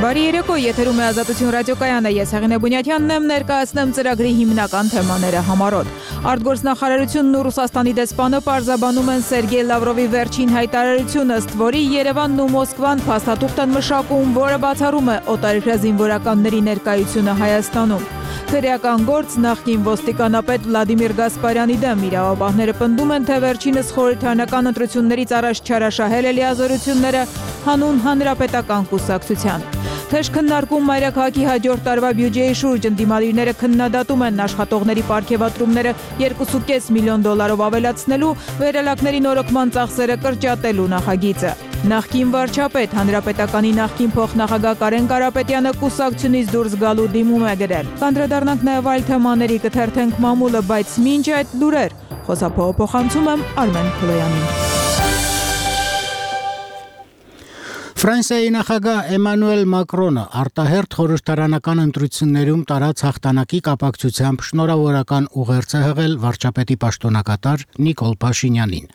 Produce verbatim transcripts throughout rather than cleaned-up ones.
Բարի երեկո, եթերում է Ազատություն ռադիոկայանը, ես Հեղինե Բունյաթյանն եմ, ներկայացնեմ ծրագրի հիմնական թեմաները համառոտ։ Արտգործնախարարությունն ու Ռուսաստանի դեսպանը պարզաբանում են Սերգեյ Լավրովի վերջին հայտարարությունը, ըստ որի Երևանն ու Մոսկվան փաստաթուղթ են մշակում, որը բացառում է օտարերկրյա զինվորականների ներկայությունը Հայաստանում։ Քրեական գործ նախկին ոստիկանապետ Վլադիմիր Գասպարյանի դեմ իրավապահները պնդում են, թե վերջինս խորհրդարանական ընտրություններից առաջ չարաշահել է լիազորությունները հանուն հանրապետական կուսակցության։ Թեժ քննարկում մայրաքաղաքի հաջորդ տարվա բյուջեի շուրջ ընդդիմադիրները քննադատում են աշխատողների պարգևատրումները երկու կես միլիոն դոլարով ավելացնելու, վերելակների նորոգման ծախսերը կրճատելու նախագիծը։ Նախկին վարչապետ, հանրապետականի նախկին փոխնախագահ Կարեն Կարապետյանը կուսակցությունից դուրս գալու դիմում է գրել։ Կանդրադառնանք նաև այլ թեմաների, կթերթենք մամուլը, բայց մինչ այդ լուրեր, խոսափողը փոխանցում եմ Արմեն Քլոյանին։ Ֆրանսիայի նախագահ Էմանուել Մակրոնը արտահերթ խորհրդարանական ընտրություններում տարած հաղթանակի կապակցությամբ շնորհավորական ուղերձ է հղել վարչապետի պաշտոնակատար Նիկոլ Փաշինյանին։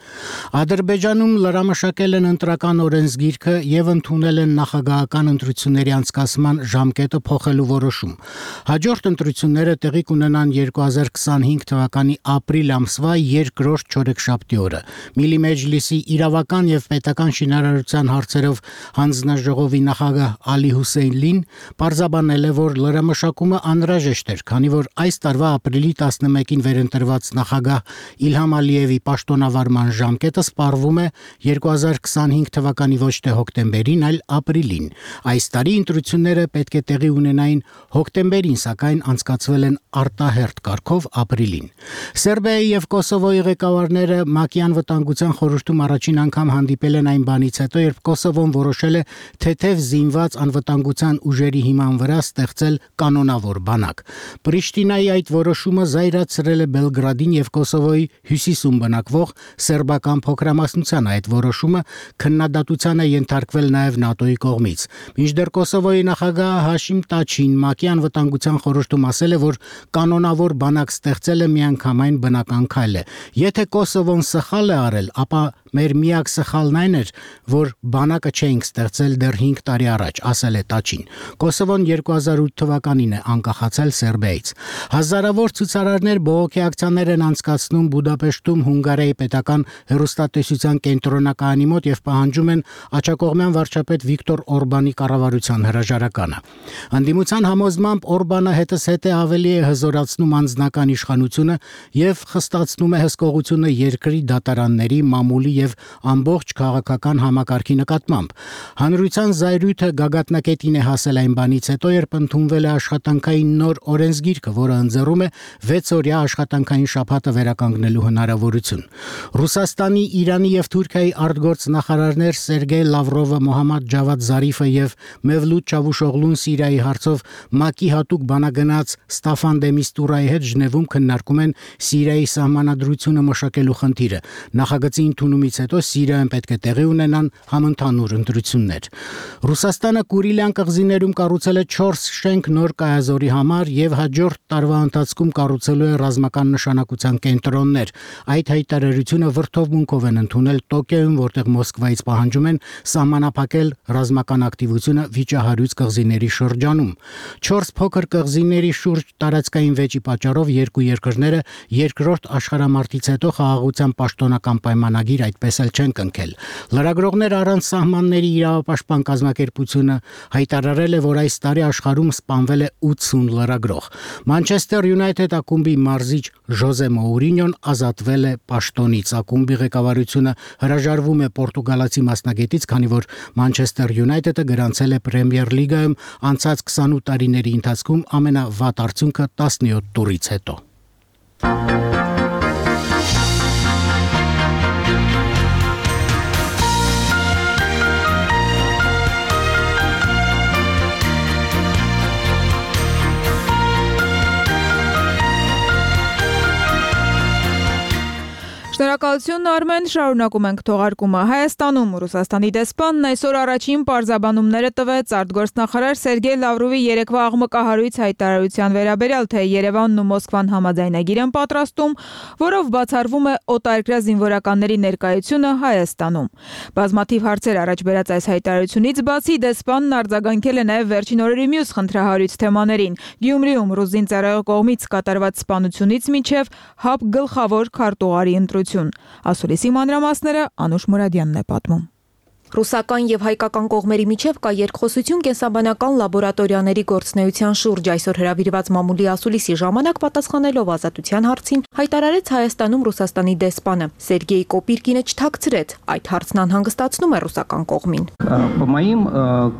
Ադրբեջանում լրամշակել են ընտրական օրենսգիրքը եւ ընդունել են նախագահական ընտրությունների անցկացման ժամկետը փոխելու որոշում։ Հաջորդ ընտրությունները տեղի կունենան երկու հազար քսանհինգ թվականի ապրիլ ամսվա երկրորդ չորեքշաբթի օրը։ Միլի Մեջլիսի իրավական եւ պետական շինարարության հարցերով Հանձնաժողովի նախագահ Ալի Հուսեյնլին պարզաբանել է, որ լրամշակումը անհրաժեշտ էր, քանի որ այս տարվա ապրիլի տասնմեկին վերընտրված նախագահ Իլհամ Ալիևի պաշտոնավարման ժամկետը սպառվում է երկու հազար քսանհինգ թվականի ոչ թե հոկտեմբերին, այլ ապրիլին։ Այս տարի ընտրությունները պետք է տեղի ունենային հոկտեմբերին, սակայն անցկացվել են արտահերթ կարգով ապրիլին։ Սերբիայի եւ Կոսովոյի ղեկավարները ՄԱԿ-ի անվտանգության խորհրդում առաջին անգամ հանդիպել են այն բանից հետո, երբ Կոսովոն որոշել է թեթև զինված անվտանգության ուժերի հիման վրա ստեղծել կանոնավոր բանակ։ Պրիշտինայի այդ որոշումը զայրացրել է Բելգրադին եւ Կոսովոյի հյուսիսում բնակվող սերբական փոքրամասնությանը։ Այդ որոշումը քննադատության է ենթարկվել նաեւ ՆԱՏՕ-ի կողմից։ Մինչդեռ Կոսովոյի նախագահ Հաշիմ Տաչին ՄԱԿ-ի անվտանգության խորհրդում ասել է, որ կանոնավոր բանակ ստեղծելը միանգամայն բնական քայլ է։ Եթե Կոսովոն սխալ է արել, ապա մեր միակ սխալն այն էր, որ բանակը չէինք ստեղծել դեռ հինգ տարի առաջ, ասել է Տաչին։ Կոսովոն երկու հազար ութ թվականին է անկախացել Սերբիայից։ Հազարավոր ցուցարարներ բողոքի ակցիաներ են անցկացնում Բուդապեշտում Հունգարիայի պետական հեռուստատեսության կենտրոնակայանի մոտ եւ պահանջում են աջակողմյան վարչապետ Վիկտոր Օրբանի կառավարության հրաժարականը։ Անդիմության համոզմամբ Օրբանը հետզհետե ավելի է հզորացնում անձնական իշխանությունը եւ խստացնում է հսկողությունը երկրի դատարանների, մամուլի եւ ամբողջ քաղաքական համակարգի նկատմամբ։ Հանրության զայրույթը գագաթնակետին է հասել այն բանից հետո, երբ ընդունվել է աշխատանքային նոր օրենսգիրքը, որը ընձեռում է վեցօրյա աշխատանքային շաբաթը վերականգնելու հնարավորություն։ Ռուսաստանի, Իրանի եւ Թուրքիայի արտգործնախարարներ Սերգեյ Լավրովը, Մոհամմադ Ջավադ Զարիֆը եւ Մևլութ Չավուշօղլուն Սիրիայի հարցով ՄԱԿ-ի հատուկ բանագնաց Ստաֆան դե Միստուրայի հետ Ժնևում քննարկում են Սիրիայի սահմանադրությունը մշակելու խնդիրը։ Նախագծի ընդունումից հետո Սիրիայում պետք է տեղի ունենան համընդհանուր ընտրություններ։ Ռուսաստանը Կուրիլյան կղզիներում կառուցել է չորս շենք նոր կայազորի համար եւ հաջորդ տարվա ընթացքում կառուցելու է ռազմական նշանակության կենտրոններ։ Այդ հայտարարությունը վրդովմունքով են ընդունել Տոկիոյում, որտեղ Մոսկվայից պահանջում են սահմանափակել ռազմական ակտիվությունը Վիճահարույց կղզիների շրջանում։ Չորս փոքր կղզիների շուրջ տարածքային վեճի պատճառով երկու երկրները երկրորդ աշխարհամարտից հետո խաղաղության պաշտոնական պայմանագիր այդպես էլ չեն կնքել։ Լրագրողներ առանց սահմանների իրավապաշտպան կազմակերպությունը հայտարարել է, որ այս տարի աշխարհում սպանվել է ութսուն լրագրող։ Մանչեսթեր Յունայթեդ ակումբի մարզիչ Ժոզե Մոուրինյոն ազատվել է պաշտոնից։ Ակումբի ղեկավարությունը հրաժարվում է պորտուգալացի մասնագետից, քանի որ Մանչեսթեր Յունայթեդը գրանցել է Պրեմիեր լիգայում անցած քսանութ տարիների ընթացքում ամենավատ արդյունքը տասնյոթ տուրից հետո։ Շնորհակալություն Արմեն, շարունակում ենք թողարկումը։ Հայաստանում Ռուսաստանի դեսպանն այսօր առաջին պարզաբանումները տվեց արտգործնախարար Սերգեյ Լավրովի երեկվա աղմկահարույց հայտարարության վերաբերյալ, թե Երևանն ու Մոսկվան համաձայնագիր են պատրաստում, որով բացառվում է օտարերկրյա զինվորականների ներկայությունը Հայաստանում։ Բազմաթիվ հարցեր առաջ բերած այս հայտարարությունից բացի դեսպանն արձագանքել է նաև վերջին օրերի մյուս խնդրահարույց թեմաներին՝ Գյումրիում ռուս զինծառայողի կողմից կատարված սպանությունից մինչև ՀԱՊ գլխավոր քարտուղարի ընտրություն։ Ասուլիսի մանրամասները Անուշ Մուրադյանն է պատմում։ Ռուսական եւ հայկական կողմերի միջև կա երկխոսություն կենսաբանական լաբորատորիաների գործունեության շուրջ։ Այսօր հրավիրված մամուլի ասուլիսի ժամանակ պատասխանելով ազատության հարցին հայտարարեց Հայաստանում Ռուսաստանի դեսպանը։ Սերգեյ Կոպիրկինը չթաքցրեց, այդ հարցն անհանգստացնում է ռուսական կողմին։ По моим,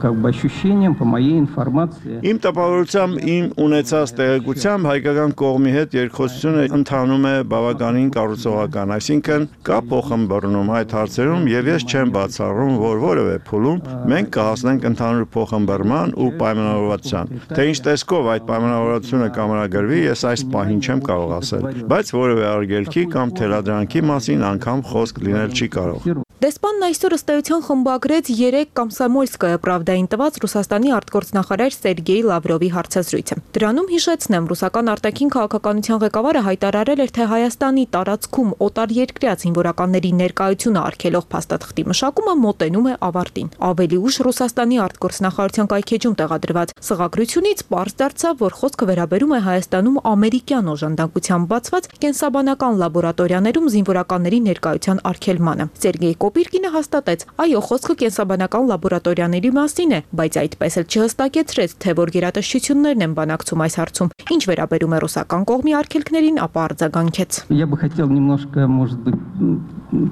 как бы, ощущениям, по моей информации. Իմ տպավորությամբ, իմ ունեցած տեղեկությամբ հայկական կողմի հետ երկխոսությունը ընթանում է բավականին կառուցողական, այսինքն կա փոխհմբռնում այդ հարցերում եւ ես չեմ բացառում, որ որևէ փուլում մենք կհասնենք ընդհանուր փոխհմբռնման ու պայմանավորվածության։ Թե ինչ տեսքով այդ պայմանավորվածությունը կամրագրվի, ես այս պահին չեմ կարող ասել, բայց որևէ արգելքի կամ թելադրանքի մասին անգամ խոսք լինել չի կարող։ Դեսպանն այսօր ըստ էության խմբագրեց երեք Կոմսոմոլսկայա պրավդային տված Ռուսաստանի արտգործնախարար Սերգեյ Լավրովի հարցազրույցը։ Դրանում հիշեցնեմ, ռուսական արտաքին քաղաքականության ղեկավարը հայտարարել էր, թե Հայաստանի տարածքում օտարերկրյա զինվորականների ներկայությունը արգելող փաստաթղթի մշակումը մոտենում է ավարտին։ Ավելի ուշ Ռուսաստանի արտգործնախարարության կայքեջում տեղադրված սղագրությունից պարզ դարձավ, որ խոսքը վերաբերում է Հայաստանում ամերիկյան օժանդակությամբ բացված կենսաբանական լաբորատորիաներում զինվորականների ներկայության արգելմանը։ Սերգեյ Կոպիրկինը հաստատեց, այո, խոսքը կենսաբանական լաբորատորիաների մասին է, բայց այդպես էլ չհստակեցրեց, թե որ գերատեսչություններն են բանակցում այս հարցում։ Ինչ վերաբերում է ռուսական կողմի արգելքներին, ապա արձագանքեց։ Я бы хотел немножко, может быть,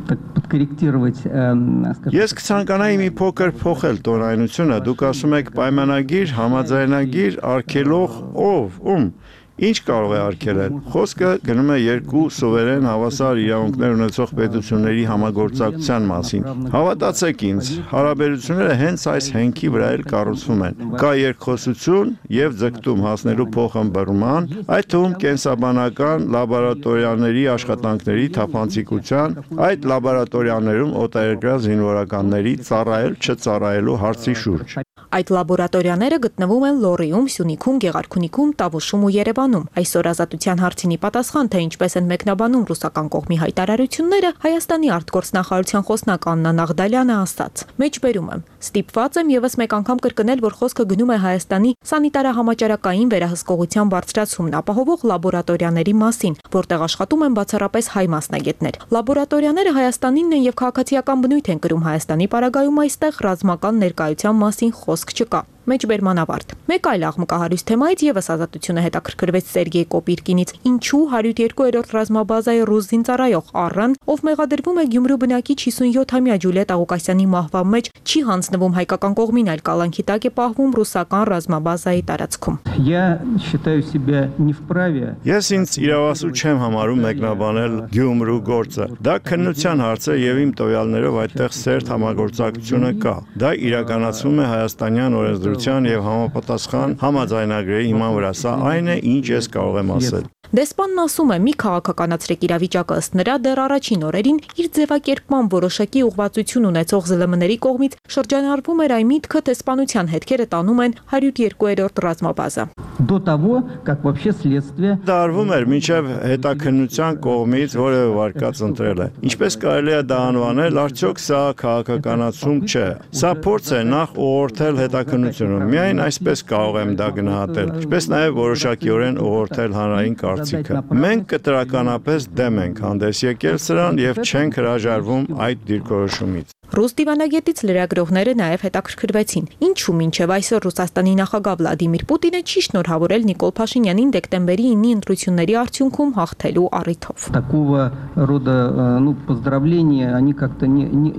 так подкорректировать, скажем. Ես կցանկանայի մի փոքր փոխել տոնայնությունը, դուք ասում եք պայմանագիր, համաձայնագիր, արգելող, ով, ում։ Ինչ կարող է արգելել։ Խոսքը գնում է երկու սուվերեն հավասար իրավունքներ ունեցող պետությունների համագործակցության մասին։ Հավատացեք ինձ, հարաբերությունները հենց այս հենքի վրա էլ կառուցվում են։ Կա երկխոսություն եւ ձգտում հասնելու փոխհմբռնման, այդ թվում կենսաբանական լաբորատորիաների աշխատանքների թափանցիկության, այդ լաբորատորիաներում օտարերկրյա զինվորականների ծառայել չծառայելու հարցի շուրջ։ Այդ լաբորատորիաները գտնվում են Լոռիում, Սյունիքում, Գեղարքունիքում, Տավուշում ու Երևանում։ Այսօր ազատության հարցինի պատասխան, թե ինչպես են մեկնաբանում ռուսական կողմի հայտարարությունները, Հայաստանի արտգործնախարարության խոսնակ Աննա Նաղդալյանը ասաց. Մեջբերում եմ, ստիպված եմ եւս մեկ անգամ կրկնել, որ խոսքը գնում է Հայաստանի սանիտարահամաճարակային վերահսկողության բարձրացումն ապահովող լաբորատորիաների մասին, որտեղ աշխատում են բացառապես հայ մասնագետներ։ Լաբորատորիաները Հայաստանինն են եւ քաղաքացիական բնույթ են կրում Հայաստանի պարագայում այստեղ ռազմական ներկայության մասին խոսք չկա։ Մեջբերման ավարտ։ Մեկ այլ աղմկահարույց թեմայից եւս ազատությունը հետաքրքրվեց Սերգեյ Կոպիրկինից, ինչու հարյուր երկու-րդ ռազմաբազայի ռուս զինծառայող Առան, ով մեղադրվում է Գյումրու բնակիչ հիսունյոթամյա Ջուլիետ Աղուկասյանի մահվան մեջ, չի հանձնվում հայկական կողմին, այլ կալանքի տակ է պահվում ռուսական ռազմաբազայի տարածքում։ Я считаю себя не вправе. Ես ինձ իրավասու չեմ համարում մեկնաբանել Գյումրու գործը։ Դա քննության հարց է եւ իմ տվյալներով այդտեղ սերտ համագործակցությունը կա։ Դա իրականացվում է հայաստանյան օրենսդրության եւ համապատասխան համաձայնագրերի հիման վրա։ Սա այն է, ինչ ես կարող եմ ասել։ Դեսպանն ասում է՝ մի քաղաքականացրեք իրավիճակը, ըստ նրա դեռ առաջին օրերին իր ձևակերպման որոշակի ուղղվածություն ունեցող զլ էմ-ների կողմից շրջանառվում էր այն միտքը, թե սպանության հետքերը տանում են հարյուր երկու-րդ ռազմաբազա։ До того, как вообще следствие Դա արվում էր մինչև հետաքննության կողմից որևէ վարկած ընտրել է։ Ինչպես կարելի է դա անվանել, արդյոք սա քաղաքականացում չէ։ Սա փորձ է նախ ուղղորդել հետաքննությունը։ Միայն այսպես կարող եմ դա գնահատել, ինչպես նաև որոշակիորեն ուղղորդել հանրային կարծիքը։ Մենք կտրականապես դեմ ենք հանդես եկել սրան եւ չենք հրաժարվում այդ դիրքորոշումից։ Ռուս դիվանագետից լրագրողները նաև հետաքրքրվեցին, ինչու մինչև այսօր Ռուսաստանի նախագահ Վլադիմիր Պուտինը չի շնորհավորել Նիկոլ Փաշինյանին դեկտեմբերի ինի ընտրությունների արդյունքում հաղթելու առիթով։ такого рода, ну, поздравления, они как-то не не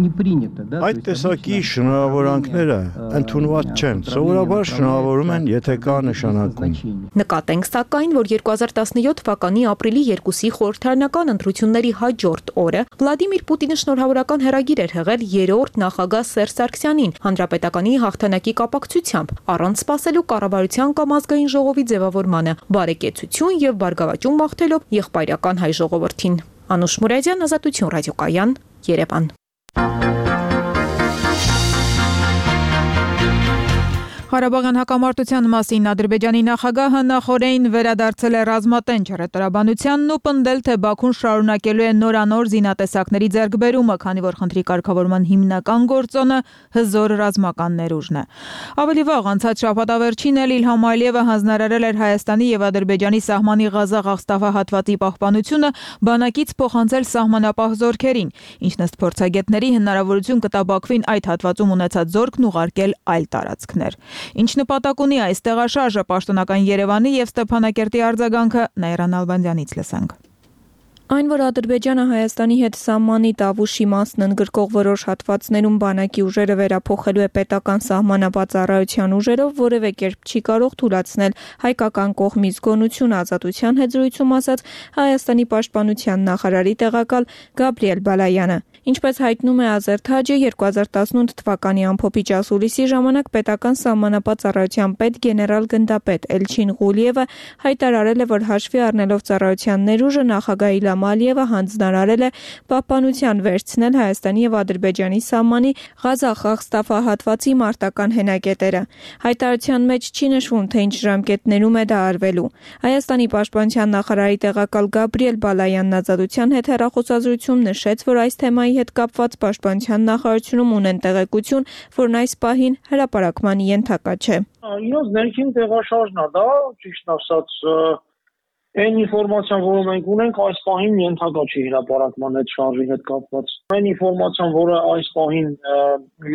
не приняты, да? Այդ տեսակի շնորհավորանքները ընդունված չեն։ Սովորաբար շնորհավորում են, եթե կա նշանակում։ Նկատենք սակայն, որ երկու հազար տասնյոթ թվականի ապրիլի երկուսի խորհրդարանական ընտրությունների հաջորդ օրը Վլադիմիր Պուտինը շնորհավորական հեռագիր էր հղել երրորդ նախագահ Սերժ Սարգսյանին հանրապետականի հաղթանակի կապակցությամբ, առանց սպասելու կառավարության կամ ազգային ժողովի ձևավորմանը, բարեկեցություն եւ բարգավաճում մաղթելով եղբայրական հայ ժողովրդին։ Անուշ Մուրադյան, Ազատություն ռադիոկայան, Երևան։ Ղարաբաղյան հակամարտության մասին Ադրբեջանի նախագահը նախօրեին վերադարձել է ռազմատենչ հրետորաբանությանն ու պնդել, թե Բաքուն շարունակելու է նորանոր զինատեսակների ձեռքբերումը, քանի որ խնդրի կարգավորման հիմնական գործոնը հզոր ռազմական ներուժն է։ Ավելի վաղ անցած շաբաթավերջին էլ Իլհամ Ալիևը հանձնարարել էր Հայաստանի եւ Ադրբեջանի սահմանի Ղազախ-Աղստաֆա հատվածի պահպանությունը բանակից փոխանցել սահմանապահ զորքերին, ինչն ըստ փորձագետների հնարավորություն կտա Բաքվին այդ հատվածում ունեցած զորքն ուղարկել այլ տարածքներ։ Ինչ նպատակ ունի այս տեղաշարժը, պաշտոնական Երևանի եւ Ստեփանակերտի արձագանքը Նաիրան Ալբանդյանից լսենք։ Այն, որ Ադրբեջանը Հայաստանի հետ սահմանի Տավուշի մասն ընդգրկող որոշ հատվածներում բանակի ուժերը վերափոխելու է պետական սահմանապահ ծառայության ուժերով, որևէ կերպ չի կարող թույլատրել հայկական կողմի զգոնություն, Ազատության հետ զրույցում ասաց Հայաստանի պաշտպանության նախարարի տեղակալ Գաբրիել Բալայանը։ Ինչպես հայտնում է Ազերթաջը, երկու հազար տասնութ թվականի ամփոփիչ ասուլիսի ժամանակ պետական սահմանապահ ծառայության պետ գեներալ գնդապետ Էլչին Ղուլիևը հայտարարել է, որ հաշվի առնելով ծառայության ներուժը նախագահ Իլհամ Ալիևը հանձնարարել է պահպանության վերցնել Հայաստանի եւ Ադրբեջանի սահմանի Ղազախ-Աղստաֆա հատվածի մարտական հենակետերը։ Հայտարարության մեջ չի նշվում, թե ինչ ժամկետներում է դա արվելու։ Հայաստանի պաշտպանության նախարարի տեղակալ Գաբրիել Բալայանն Ազատության հետ հեռախոսազրույցում նշեց, որ այս թեմայի հետ կապված պաշտպանության նախարարությունում ունեն տեղեկություն, որն այս պահին հրապարակման ենթակա չէ։ Իրոց ներքին տեղաշարժն է դա, ճիշտ ասած, այն ինֆորմացիան, որը մենք ունենք, այս պահին ենթակա չի հրապարակման այդ շարժի հետ կապված։ Այն ինֆորմացիան, որը այս պահին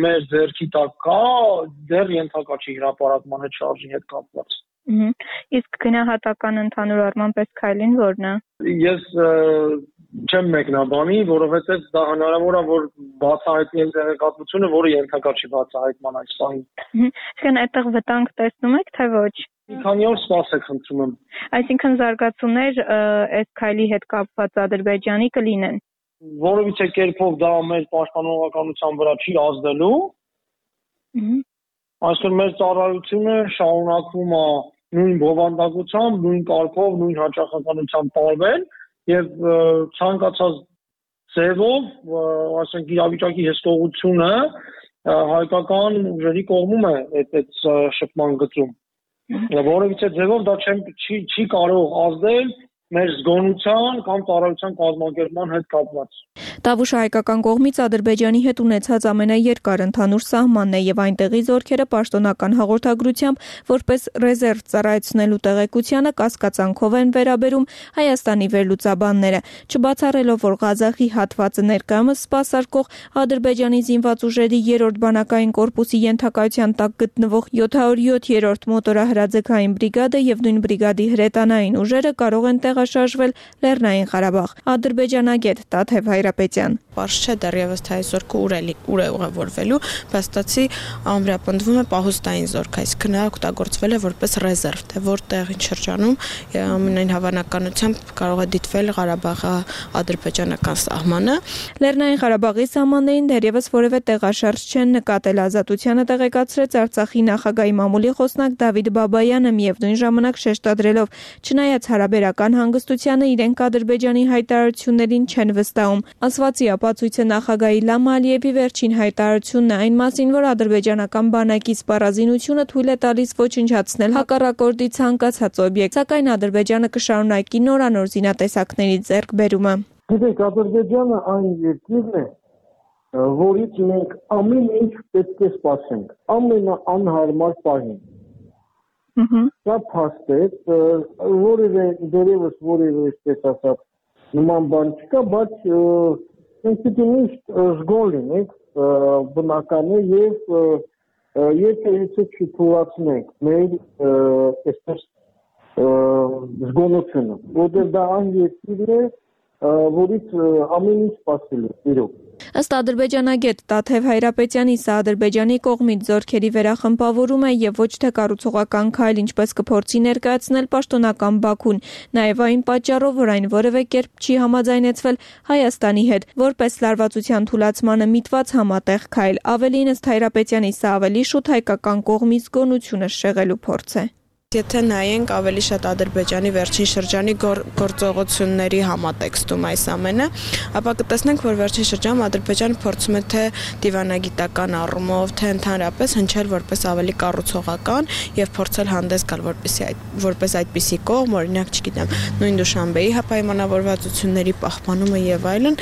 մեր ձեռքի տակ կա, դեռ ենթակա չի հրապարակման այդ շարժի հետ կապված։ Իսկ գնահատական ընդհանուր առմամբ այս քայլին ո՞րն է։ Ես չեմ մեկնաբանի, որովհետև դա հնարավոր է, որ բացահայտի այն տեղեկատվությունը, որը ենթակա չի բացահայտման այս պահին։ Այսինքն այդտեղ վտանգ տեսնում եք, թե ոչ։ Մի քանի օր սպասեք, խնդրում եմ։ Այսինքն զարգացումներ այս քայլի հետ կապված Ադրբեջանի կլինեն։ Որևիցե կերպով դա մեր պաշտպանողականության վրա չի ազդելու։ Այսինքն մեր ծառայությունը շարունակվում է նույն բովանդակությամբ, նույն կարգով, նույն հաճախականությամբ տարվել եւ ցանկացած ձևով, ասենք իրավիճակի հսկողությունը հայկական ուժերի կողմում է այդ այդ շփման գծում։ Որևիցե ձևով դա չի չի կարող ազդել մեր զգոնության կամ ծառայության կազմակերպման հետ կապված։ Տավուշը հայկական կողմից Ադրբեջանի հետ ունեցած ամենաերկար ընդհանուր սահմանն է եւ այնտեղի զորքերը պաշտոնական հաղորդագրությամբ որպես ռեզերվ ծառայեցնելու տեղեկությանը կասկածանքով են վերաբերում Հայաստանի վերլուծաբանները, չբացառելով, որ Ղազախի հատվածը ներկայումս սպասարկող Ադրբեջանի զինված ուժերի երրորդ բանակային կորպուսի ենթակայության տակ գտնվող յոթ հարյուր յոթ մոտորահրաձգային բրիգադը եւ նույն բրիգադի հրետանային ուժերը կարող են տեղաշարժվել Լեռնային Ղարաբաղ։ Ադրբեջանագետ Տաթև Հայրապետյան։ Պարզ չէ դեռևս թե այս զորքը ուր է ուր է ուղևորվելու, փաստացի ամրապնդվում է պահուստային զորք, այսինքն նա օգտագործվել է որպես ռեզերվ, թե որտեղ ինչ շրջանում ամենայն հավանականությամբ կարող է դիտվել Ղարաբաղի ադրբեջանական սահմանը։ Լեռնային Ղարաբաղի սահմաններին դեռևս որևէ տեղաշարժ չեն նկատել, Ազատությանը տեղեկացրեց Արցախի նախագահի մամուլի խոսնակ Դավիթ Բաբայանը, միևնույն ժամանակ շեշտադրելով, չնայած հարաբերական հանգստությանը իրենք Ադրբեջանի հայտարարություններին չեն վստահում։ Ասվածի ապացույցը նախագահ Իլհամ Ալիևի վերջին հայտարարությունն է այն մասին, որ ադրբեջանական բանակի սպառազինությունը թույլ է տալիս ոչնչացնել հակառակորդի ցանկացած օբյեկտ, սակայն Ադրբեջանը կշարունակի նորանոր զինատեսակների ձեռքբերումը։ Գիտեք, Ադրբեջանը այն երկիրն է, որից մենք ամեն ինչ պետք է սպասենք, ամենաանհարմար պահին։ Դա փաստ է, որևէ դերևս որևէ այսպես ասած նման բան չկա, բայց մենք պիտի միշտ զգոն լինենք, բնական է եւ եթե եթե չթույլատնենք մեր այսպես զգոնությունը, որտեղ դա այն երկիրն է, որից ամեն ինչ սպասել է, իրոք։ Ըստ ադրբեջանագետ Տաթև Հայրապետյանի, սա Ադրբեջանի կողմից զորքերի վերախմբավորում է եւ ոչ թե կառուցողական քայլ, ինչպես կփորձի ներկայացնել պաշտոնական Բաքուն, նաեւ այն պատճառով, որ այն որևէ կերպ չի համաձայնեցվել Հայաստանի հետ, որպես լարվածության թույլատրմանը միտված համատեղ քայլ։ Ավելին, ըստ Հայրապետյանի, սա ավելի շուտ հայկական կողմի զգոնությունը շեղելու փորձ է։ Եթե նայենք ավելի շատ Ադրբեջանի վերջին շրջանի գործողությունների համատեքստում այս ամենը, ապա կտեսնենք, որ վերջին շրջանում Ադրբեջանը փորձում է թե դիվանագիտական առումով, թե ընդհանրապես հնչել որպես ավելի կառուցողական եւ փորձել հանդես գալ որպեսի այդ որպես այդպիսի կողմ, օրինակ, չգիտեմ, նույն Դուշանբեի պայմանավորվածությունների պահպանումը եւ այլն,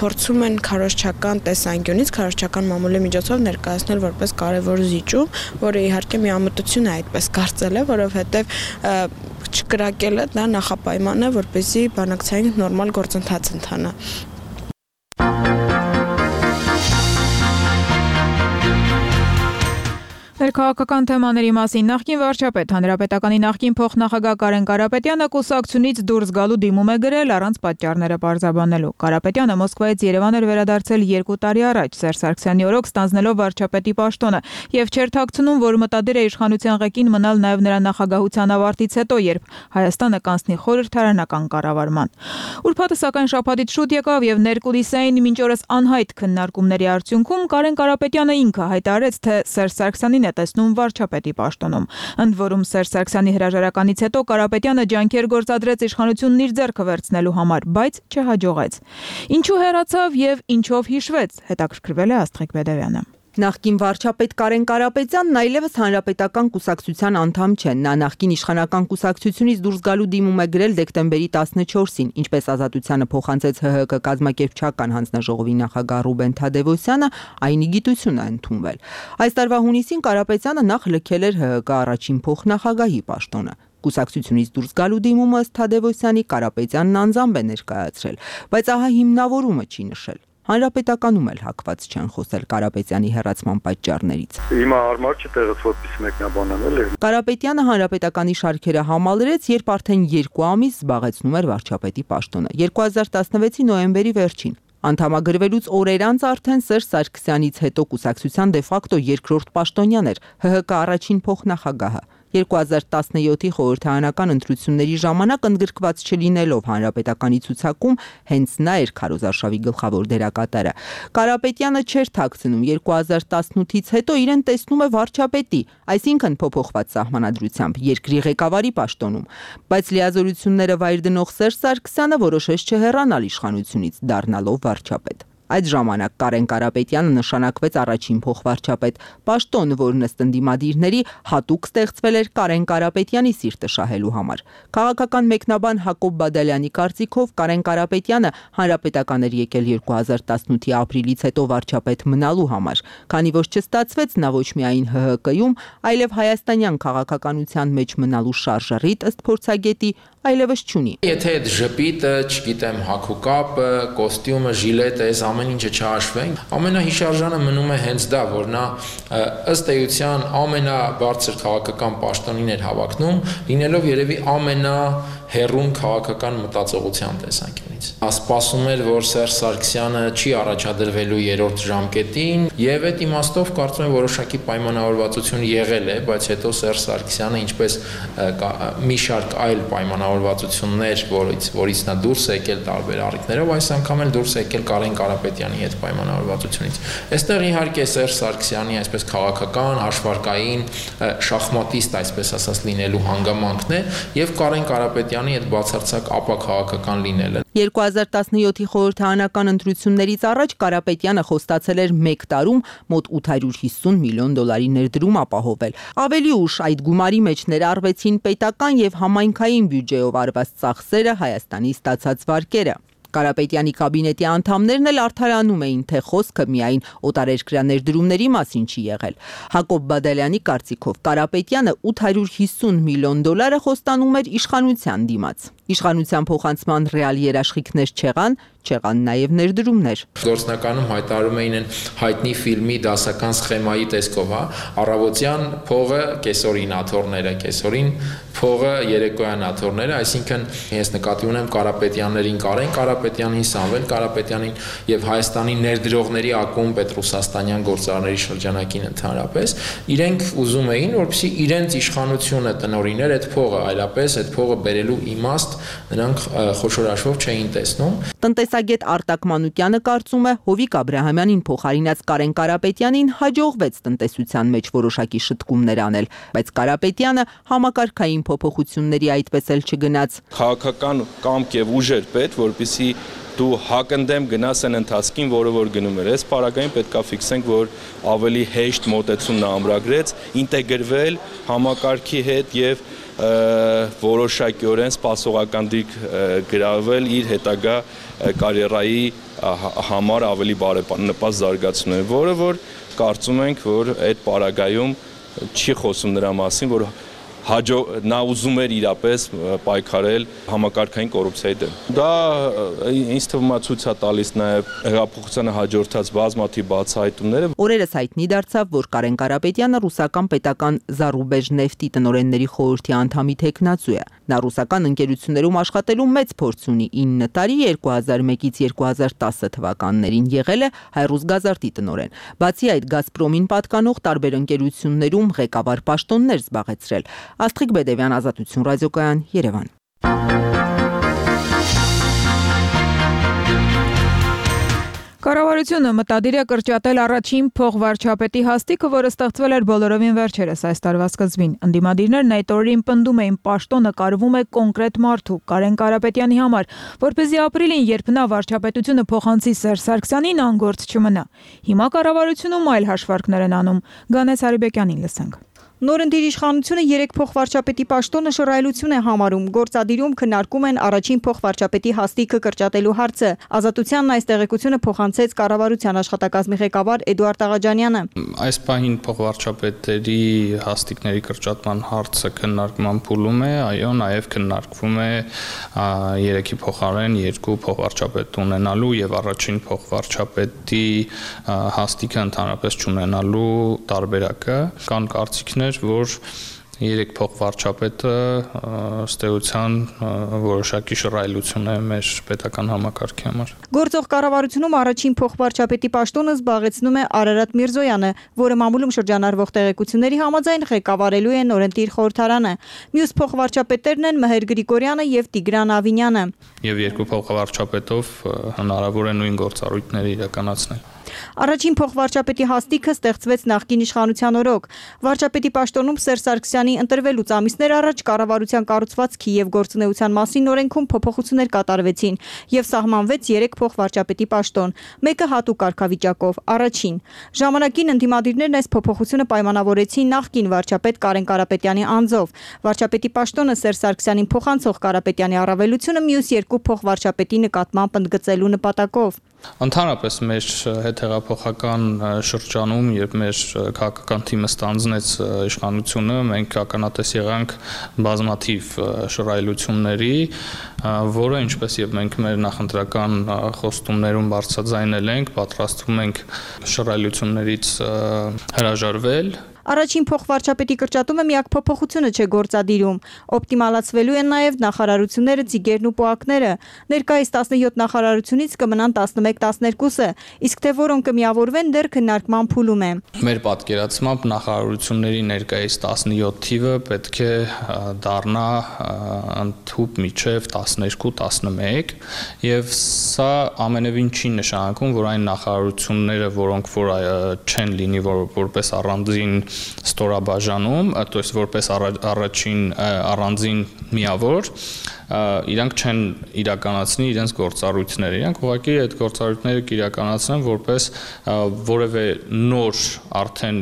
փորձում են քարոզչական տեսանկյունից, քարոզչական մամուլի միջոցով ներկայացնել որպես կարևոր զիջում, որը իհարկե միամտություն է այդպես կարծել է, որովհետեւ չկրակելը դա նախապայման է, որպեսզի բանակցային նորմալ գործընթաց ընթանա։ Ներքաղաքական թեմաների մասին նախկին վարչապետ, հանրապետականի նախկին փոխնախագահ Կարեն Կարապետյանը կուսակցությունից դուրս գալու դիմում է գրել առանց պատճառները պարզաբանելու։ Կարապետյանը Մոսկվայից Երևան էր վերադարձել երկու տարի առաջ Սերժ Սարգսյանի օրոք ստանձնելով վարչապետի պաշտոնը եւ չէր թաքցնում, որ մտադիր է իշխանության ղեկին մնալ նաեւ նրա նախագահության ավարտից հետո, երբ Հայաստանը կանցնի խորհրդարանական կառավարման։ Ուրբաթը սակայն շաբաթից շուտ եկավ եւ ներկուլիսային մինչ օրս անհայտ քննարկումների արդյունքում Կարեն Կարապետյանը ինքը հայտարարեց, թե Սերժ Սարգսյանին տեսնում վարչապետի պաշտոնում։ Ընդ որում Սերժ Սարգսյանի հրաժարականից հետո Կարապետյանը ջանքեր գործադրեց իշխանությունն իր ձեռքը վերցնելու համար, բայց չհաջողեց։ Ինչու հեռացավ եւ ինչով հիշվեց, հետաքրքրվել է Աստղիկ Բեդևյանը։ Նախկին վարչապետ Կարեն Կարապետյանն այլևս հանրապետական կուսակցության անդամ չէ։ Նա նախկին իշխանական կուսակցությունից դուրս գալու դիմում է գրել դեկտեմբերի տասնչորսին, ինչպես Ազատությանը փոխանցեց ՀՀԿ կազմակերպչական հանձնաժողովի նախագահ Ռուբեն Թադևոսյանը, այն ի գիտություն է ընդունվել։ Այս տարվա հունիսին Կարապետյանը նախ լքել էր ՀՀԿ առաջին փոխնախագահի պաշտոնը։ Կուսակցությունից դուրս գալու դիմումը ըստ Թադևոսյանի Կարապետյանն անձամբ է ներկայացրել, բայց ահա հիմնավորումը չի նշել։ Հանրապետականում էլ հակված չեն խոսել Կարապետյանի հեռացման պատճառներից։ Հիմա հարմար չէ տեղից որպես մեկնաբանել է։ Կարապետյանը հանրապետականի շարքերը համալրեց, երբ արդեն երկու ամիս զբաղեցնում էր վարչապետի պաշտոնը։ երկու հազար տասնվեցի նոյեմբերի վերջին անդամագրվելուց օրեր անց արդեն Սերժ Սարգսյանից հետո կուսակցության դե ֆակտո երկրորդ պաշտոնյան էր ՀՀԿ առաջին փոխնախագահը։ երկու հազար տասնյոթի խորհրդարանական ընտրությունների ժամանակ ընդգրկված չլինելով հանրապետականի ցուցակում հենց նա էր քարոզարշավի գլխավոր դերակատարը։ Կարապետյանը չէր թաքցնում երկու հազար տասնութից հետո իրեն տեսնում է վարչապետի, այսինքն փոփոխված սահմանադրությամբ երկրի ղեկավարի պաշտոնում, բայց լիազորությունները վայր դնող Սերժ Սարգսյանը որոշեց չհեռանալ իշխանությունից, դառնալով վարչապետ։ Այդ ժամանակ Կարեն Կարապետյանը նշանակվեց առաջին փոխվարչապետ, պաշտոն, որն ըստ ընդդիմադիրների հատուկ ստեղծվել էր Կարեն Կարապետյանի սիրտը շահելու համար։ Քաղաքական մեկնաբան Հակոբ Բադալյանի կարծիքով Կարեն Կարապետյանը հանրապետական էր եկել երկու հազար տասնութի ապրիլից հետո վարչապետ մնալու համար, քանի որ չստացվեց նա ոչ միայն ՀՀԿ-ում, այլև հայաստանյան քաղաքականության մեջ մնալու շարժառիթ ըստ փորձագետի այլևս չունի։ Եթե այդ ժպիտը, չգիտեմ, հագուկապը, կոստյումը, ժիլետը, այս ամեն ինչը չհաշվեն, ամենահիշարժանը մնում է հենց դա, որ նա ըստ էության ամենաբարձր քաղաքական պաշտոնին էր հավակնում, լինելով երևի ամենա հերուն քաղաքական մտածողության տեսանկյունից։ Նա սպասում էր, որ Սերժ Սարգսյանը չի առաջադրվելու երրորդ ժամկետին, եւ այդ իմաստով կարծում եմ որոշակի պայմանավորվածություն եղել է, բայց հետո Սերժ Սարգսյանը ինչպես մի շարք այլ պայմանավորվածություններ, որից որից նա դուրս է եկել տարբեր առիթներով, այս անգամ էլ դուրս է եկել Կարեն Կարապետյանի հետ պայմանավորվածությունից։ Այստեղ իհարկե Սերժ Սարգսյանի այսպես քաղաքական, հաշվարկային, շախմատիստ, այսպես ասած, լինելու հանգամանքն է, եւ Կարեն Կարապետյանի այդ բացարձակ ապաքաղաքական լինելը։ երկու հազար տասնյոթի խորհրդարանական ընտրություններից առաջ Կարապետյանը խոստացել էր մեկ տարում մոտ ութ հարյուր հիսուն միլիոն դոլարի ներդրում ապահովել։ Ավելի ուշ այդ գումարի մեջ ներառվեցին պետական եւ համայնքային բյուջեով արված ծախսերը, Հայաստանի ստացած վարկերը։ Կարապետյանի կաբինետի անդամներն էլ արդարանում էին, թե խոսքը միայն օտարերկրյա ներդրումների մասին չի եղել։ Հակոբ Բադալյանի կարծիքով Կարապետյանը ութ հարյուր հիսուն միլիոն դոլարը խոստանում էր իշխանության դիմաց։ Իշխանության փոխանցման ռեալ երաշխիքներ չեղան, չեղան նաև ներդրումներ։ Գործնականում հայտարարում էին այն հայտնի ֆիլմի դասական սխեմայի տեսքով, հա, առավոտյան փողը կեսօրին աթոռները, կեսօրին փողը երեկոյան աթոռները, այսինքն ես նկատի ունեմ Կարապետյաններին Կարեն Կարապետյանին, Սամվել Կարապետյանին եւ Հայաստանի ներդրողների ակումբ Պետրոսաստանյան գործարարների շրջանակին ընդհանրապես, իրենք ուզում էին, որպեսզի իրենց իշխանությունը տնօրիներ այդ փողը, այլապես այդ փողը բերելու իմաստ նրանք խոշոր հաշվով չէին տեսնում։ Տնտեսագետ Արտակ Մանուկյանը կարծում է, Հովիկ Աբրահամյանին փոխարինած Կարեն Կարապետյանին հաջողվեց տնտեսության մեջ որոշակի շտկումներ անել, բայց Կարապետյանը համակարգային փոփոխությունների այդպես էլ չգնաց։ Քաղաքական կամք եւ ուժ էր պետք, որպեսզի դու հակընդդեմ գնաս այն ընթացքին, որը որ գնում էր։ Այս պարագային պետքա ֆիքսենք, որ ավելի հեշտ մոտեցում նա ամրագրեց, ինտեգրվել համակարգի հետ եւ որոշակիորեն սպասողական դիրք գրավել իր հետագա կարիերայի համար ավելի բարենպաստ զարգացնելու, որը որ կարծում ենք, որ այդ պարագայում չի խոսում նրա մասին, որ հաջո նա ուզում էր իրապես պայքարել համակարգային կոռուպցիայի դեմ։ Դա ինձ թվում է ցույց է տալիս նաև հեղափոխությանը հաջորդած բազմաթիվ բացահայտումները։ Օրերս հայտնի դարձավ, որ Կարեն Կարապետյանը ռուսական պետական Զարուբեժ նեֆտի տնօրենների խորհրդի անդամի թեկնածու է։ Նա ռուսական ընկերություններում աշխատելու մեծ փորձ ունի, ինը տարի երկու հազար մեկից երկու հազար տասը թվականներին եղել է Հայրուսգազարտի տնօրեն։ Բացի այդ, Գազպրոմին պատկանող տարբեր ընկերություններում ղեկավար պաշտոններ զբաղեցրել։ Աստղիկ Բեդևյան, Ազատություն ռադիոկայան, Երևան։ Կառավարությունը մտադիր է կրճատել առաջին փոխվարչապետի հաստիքը, որը ստեղծվել էր բոլորովին վերջերս այս տարվա սկզբին։ Ընդդիմադիրներն այդ օրերին պնդում էին, պաշտոնը կարվում է կոնկրետ մարդու՝ Կարեն Կարապետյանի համար, որպեսզի ապրիլին, երբ նա վարչապետությունը փոխանցի Սերժ Սարգսյանին, անգործ չմնա։ Հիմա կառավարությունում այլ հաշվարկներ են անում։ Գանես Հարիբեկյանին լսենք։ Նորընտիր իշխանությունը երեք փոխվարչապետի պաշտոնը շռայլություն է համարում։ Գործադիրում քննարկում են առաջին փոխվարչապետի հաստիքը կրճատելու հարցը։ Ազատությանն այս տեղեկությունը փոխանցեց կառավարության աշխատակազմի ղեկավար Էդուարդ Աղաջանյանը։ Այս պահին փոխվարչապետերի հաստիկների կրճատման հարցը քննարկման փուլում է, այո, նաև քննարկվում է երեքի փոխարեն երկու փոխվարչապետ ունենալու եւ առաջին փոխվարչապետի հաստիքը ընդհանրապես չունենալու տարբերակը։ Կան կարծիքներ, որ երեք փոխվարչապետը ըստ էության որոշակի շռայլություն է մեր պետական համակարգի համար։ Գործող կառավարությունում առաջին փոխվարչապետի պաշտոնը զբաղեցնում է Արարատ Միրզոյանը, որը մամուլում շրջանառվող տեղեկությունների համաձայն ղեկավարելու է նորընտիր խորհրդարանը։ Մյուս փոխվարչապետերն են Մհեր Գրիգորյանը եւ Տիգրան Ավինյանը։ Եվ երկու փոխվարչապետով հնարավոր է նույն գործառույթները իրականացնել։ Առաջին փոխվարչապետի հաստիքը ստեղծվեց նախկին իշխանության օրոք։ Վարչապետի պաշտոնում Սերժ Սարգսյանի ընտրվելուց ամիսներ առաջ կառավարության կառուցվածքի եւ գործունեության մասին օրենքում փոփոխություններ կատարվեցին եւ սահմանվեց երեք փոխվարչապետի պաշտոն, մեկը հատուկ կարգավիճակով, առաջին։ Ժամանակին ընդդիմադիրներն այս փոփոխությունը պայմանավորեցին նախկին վարչապետ Կարեն Կարապետյանի անձով։ Վարչապետի պաշտոնը Սերժ Սարգսյանին փոխանցող Կարապետյանի առավելությունը մյուս երկու փոխվարչապետի նկատմամբ ընդգծելու նպատակով։ Ընդհանրապես մեր հետհեղափոխական շրջանում, երբ մեր քաղաքական թիմը ստանձնեց իշխանությունը, մենք ականատես եղանք բազմաթիվ շռայլությունների, որը ինչպես եւ մենք մեր նախընտրական խոստումներում բարձրաձայնել ենք, պատրաստվում ենք շռայլություններից հրաժարվել։ Առաջին փոխվարչապետի կրճատումը միակ փոփոխությունը չէ գործադիրում։ Օպտիմալացվելու են նաև նախարարությունները, ծիգերն ու պոակները։ Ներկայիս տասնյոթ նախարարությունից կմնան տասնմեկ տասներկուսը, իսկ թե որոնք կմիավորվեն, դեռ քննարկման փուլում է։ Մեր պատկերացմամբ նախարարությունների ներկայիս տասնյոթ թիվը պետք է դառնա ընդհուպ միջև տասներկու տասնմեկ, եւ սա ամենևին չի նշանակում, որ այն նախարարությունները, որոնք որ չեն լինի որ, որպես առանձին ստորաբաժանում, то есть որպես առաջին առանձին միավոր, իրանք չեն իրականացնի իրենց գործառույթները, իրանք ուղղակի այդ գործառույթները կիրականացնեն որպես որևէ նոր արդեն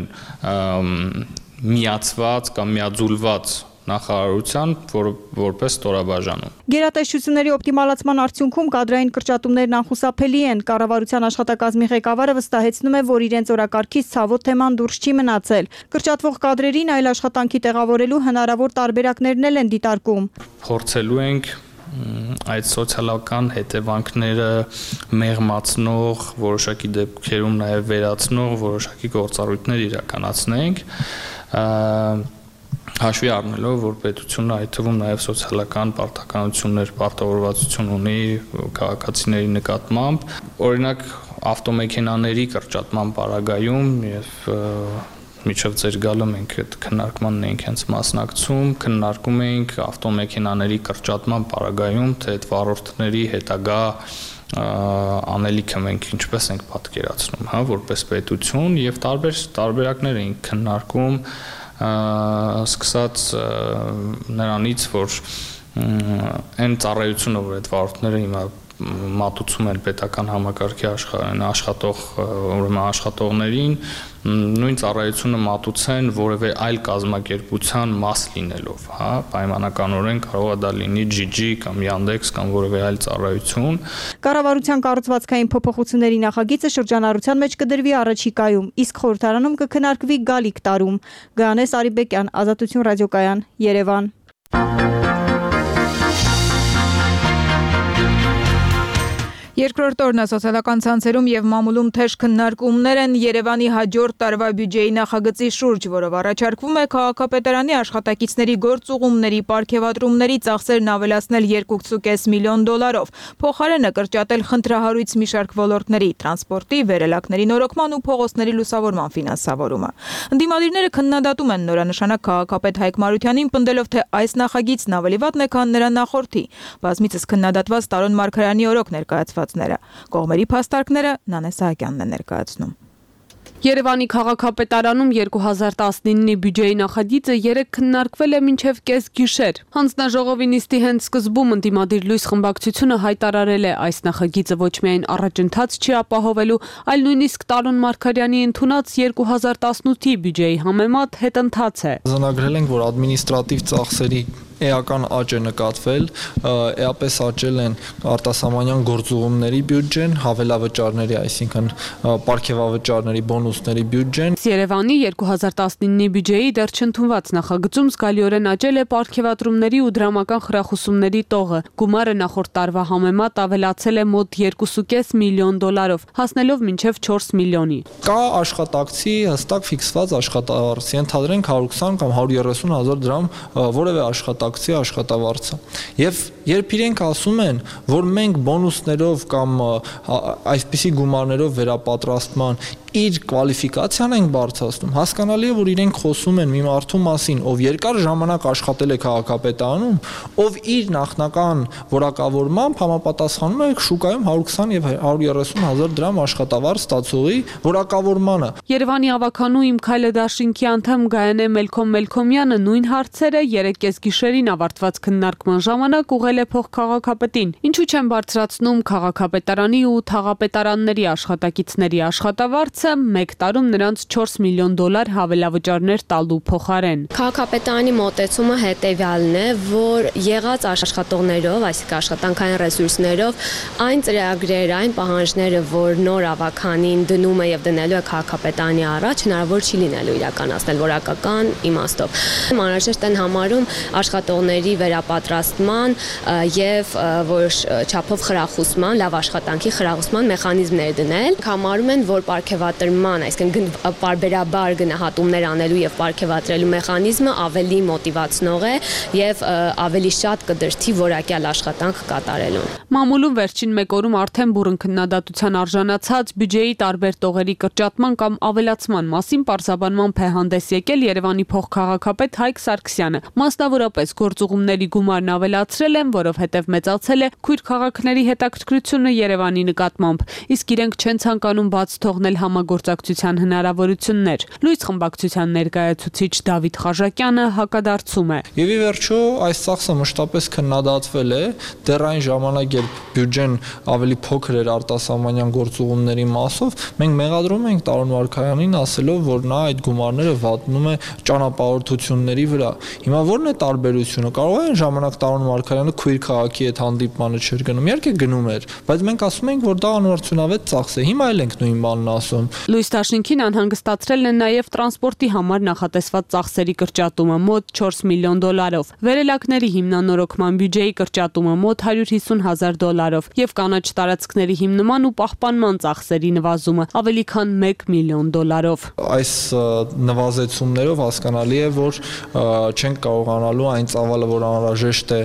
միացված կամ միաձուլված նախարարության, որը որպես ստորաբաժանում։ Գերատեսչությունների օպտիմալացման արդյունքում կադրային կրճատումներն անխուսափելի են։ Կառավարության աշխատակազմի ղեկավարը վստահեցնում է, որ իրենց օրակարգից ցավոտ թեման դուրս չի մնացել։ Կրճատվող կադրերին այլ աշխատանքի տեղավորելու հնարավոր տարբերակներն էլ են դիտարկում։ Փորձելու ենք այդ սոցիալական հետևանքները մեղմացնող, որոշակի դեպքերում նաև վերացնող որոշակի գործառույթներ իրականացնենք, հաշվի առնելով, որ պետությունը այդ թվում նաև սոցիալական պարտականություններ, պարտավորվածություն ունի քաղաքացիների նկատմամբ, օրինակ ավտոմեքենաների կրճատման պարագայում եւ միջև ձեր գալը մենք այդ քննարկմանն էինք հենց մասնակցում, քննարկում էինք ավտոմեքենաների կրճատման պարագայում, թե այդ վարորդների հետագա անելիքը մենք ինչպես ենք պատկերացնում, հա, որպես պետություն եւ տարբեր տարբերակներ էինք քննարկում, սկսած նրանից, որ այն ծառայությունը, որ այդ վարորդները հիմա մատուցում են պետական համակարգի աշխատող ուրեմն աշխատողներին, նույն ծառայությունը մատուցեն որևէ այլ կազմակերպության մաս լինելով, հա, պայմանականորեն կարող է դա լինի ջի ջի կամ Yandex կամ որևէ այլ ծառայություն։ Կառավարության կառուցվածքային փոփոխությունների նախագիծը շրջանառության մեջ կդրվի առաջիկայում, իսկ խորհրդարանում կքննարկվի գալիք տարում։ Գայանես Արիբեկյան, Ազատություն ռադիոկայան, Երևան։ Երկրորդ օրն սոցիալական ցանցերում եւ մամուլում թեժ քննարկումներ են Երևանի հաջորդ տարվա բյուջեի նախագծի շուրջ, որով առաջարկվում է քաղաքապետարանի աշխատակիցների գործուղումների պարգևատրումների ծախսերն ավելացնել երկու կողմը կես միլիոն դոլարով, փոխարենը կրճատել խնդրահարույց մի շարք ոլորտների՝ տրանսպորտի, վերելակների նորոգման ու փողոցների լուսավորման ֆինանսավորումը։ Ընդդիմադիրները քննադատում են նորանշանակ քաղաքապետ Հայկ Մարությանին, պնդելով, թե այս նախագիծն ավելի վատն է, քան նրա նախորդի։ Բազմիցս քննադատված Տարոն Մարգարյանի օրոք ներկայացված Կողմերի փաստարկները Նանե Սահակյանն է ներկայացնում։ Երևանի քաղաքապետարանում երկու հազար տասնինի բյուջեի նախագիծը երեկ քննարկվել է մինչև կես գիշեր։ Հանձնաժողովի նիստի հենց սկզբում ընդդիմադիր լույս խմբակցությունը հայտարարել է այս նախագիծը ոչ միայն առաջընթաց չի ապահովելու, այլ նույնիսկ Տարոն Մարգարյանի ընդունած երկու հազար տասնութի բյուջեի համեմատ հետընթաց է։ Արձանագրել ենք, որ ադմինիստրատիվ ծախսերի էական աճ է նկատվել, էապես աճել են արտասահմանյան գործուղումների բյուջեն, հավելավճարների, այսինքն պարգևավճարների, բոնուսների բյուջեն։ Երևանի երկու հազար տասնինի բյուջեի դեռ չընդունված նախագծում զգալիորեն աճել է պարգևատրումների ու դրամական խրախուսումների տողը։ Գումարը նախորդ տարվա համեմատ ավելացել է մոտ երկու կողմը կես միլիոն դոլարով, հասնելով մինչև չորս միլիոնի։ Կա աշխատակցի հստակ ֆիքսված աշխատավարձ, ենթադրենք հարյուր քսան կամ հարյուր երեսուն հազար դրամ որևէ աշխատակցի աշխատավարձը։ Եվ երբ իրենք ասում են, որ մենք բոնուսներով կամ այսպիսի գումարներով վերապատրաստման իր կվալիֆիկացիան ենք բարձրացնում, հասկանալի է, որ իրենք խոսում են մի մարդու մասին, ով երկար ժամանակ աշխատել է քաղաքապետարանում, ով իր նախնական որակավորմամբ համապատասխանում է շուկայում հարյուր քսան եւ հարյուր երեսուն հազար դրամ աշխատավարձ ստացողի որակավորմանը։ Երևանի ավականու Իմ քայլը դաշինքի անդամ Գայանե Մելքոմ Մելքոմյանը նույն հարցերը երեկ կեսգիշերին ավարտված քննարկման ժամանակ ուղղել է փոխքաղաքապետին։ Ինչու չեն բարձրացնում քաղաքապետարանի ու թաղապետարանների աշխատակիցների աշխատավարձ մեկ տարում նրանց չորս միլիոն դոլար հավելավճարներ տալու փոխարեն։ Քաղաքապետարանի մոտեցումը հետևյալն է, որ եղած աշխատողներով, այսինքն աշխատանքային ռեսուրսներով, այն ծրագրերը, այն պահանջները, որ նոր ավականին դնում է եւ դնելու է քաղաքապետարանի առաջ, հնարավոր չի լինելու իրականացնել որակական իմաստով։ Անհրաժեշտ են համարում աշխատողների վերապատրաստման եւ որոշ չափով խրախուսման, լավ աշխատանքի խրախուսման մեխանիզմներ դնել։ Համարում են, որ պարգևատրման, այսինքն պարբերաբար գնահատումներ անելու եւ պարգևատրելու մեխանիզմը ավելի մոտիվացնող է եւ ավելի շատ կդրթի որակյալ աշխատանք կատարելուն։ Մամուլում վերջին մեկ օրում արդեն բուրըն քննադատության արժանացած բյուջեի տարբեր տողերի կրճատման կամ ավելացման մասին պարզաբանման է հանդես եկել Երևանի փոխքաղաքապետ Հայկ Սարգսյանը։ Մասնավորապես գործուղումների գումարն ավելացրել են, որովհետև մեծացել է քույր քաղաքների հետաքրքրությունը Երևանի նկատմամբ, իսկ իրենք չեն ցանկանում բաց թողնել համագործակցության հնարավորություններ։ Լույս խմբակցության ներկայացուցիչ Դավիթ Խաժակյանը հակադարձում է։ Եվ ի վերջո այս ծախսը մշտապես քննադատվել է, դեռ այն ժամանակ, երբ բյուջեն ավելի փոքր էր արտասահմանյան գործուղումների մասով, մենք մեղադրում ենք Տարոն Մարգարյանին ասելով, որ նա այդ գումարները վատնում է ճանապարհորդությունների վրա։ Հիմա ո՞րն է տարբերությունը։ Կարող է այն ժամանակ Տարոն Մարգարյանը քույր քաղաքի հետ հանդիպմանը չէր գնում, իհարկե գնում էր, բայց մենք ասում ենք, որ դա անորցունավետ ծախս է։ Հիմա էլ ենք նույն բանն ասում։ Լույս Դաշինքին անհանգստացրել են նաև տրանսպորտի համար նախատեսված ծախսերի կրճատումը մոտ չորս միլիոն դոլարով, վերելակների հիմնանորոգման բյուջեի կրճատումը մոտ հարյուր հիսուն հազար դոլարով եւ կանաչ տարածքների հիմնման ու պահպանման ծախսերի նվազումը ավելի քան մեկ միլիոն դոլարով։ Այս նվազեցումներով հասկանալի է, որ չենք կարողանալու այն ծավալը, որ անհրաժեշտ է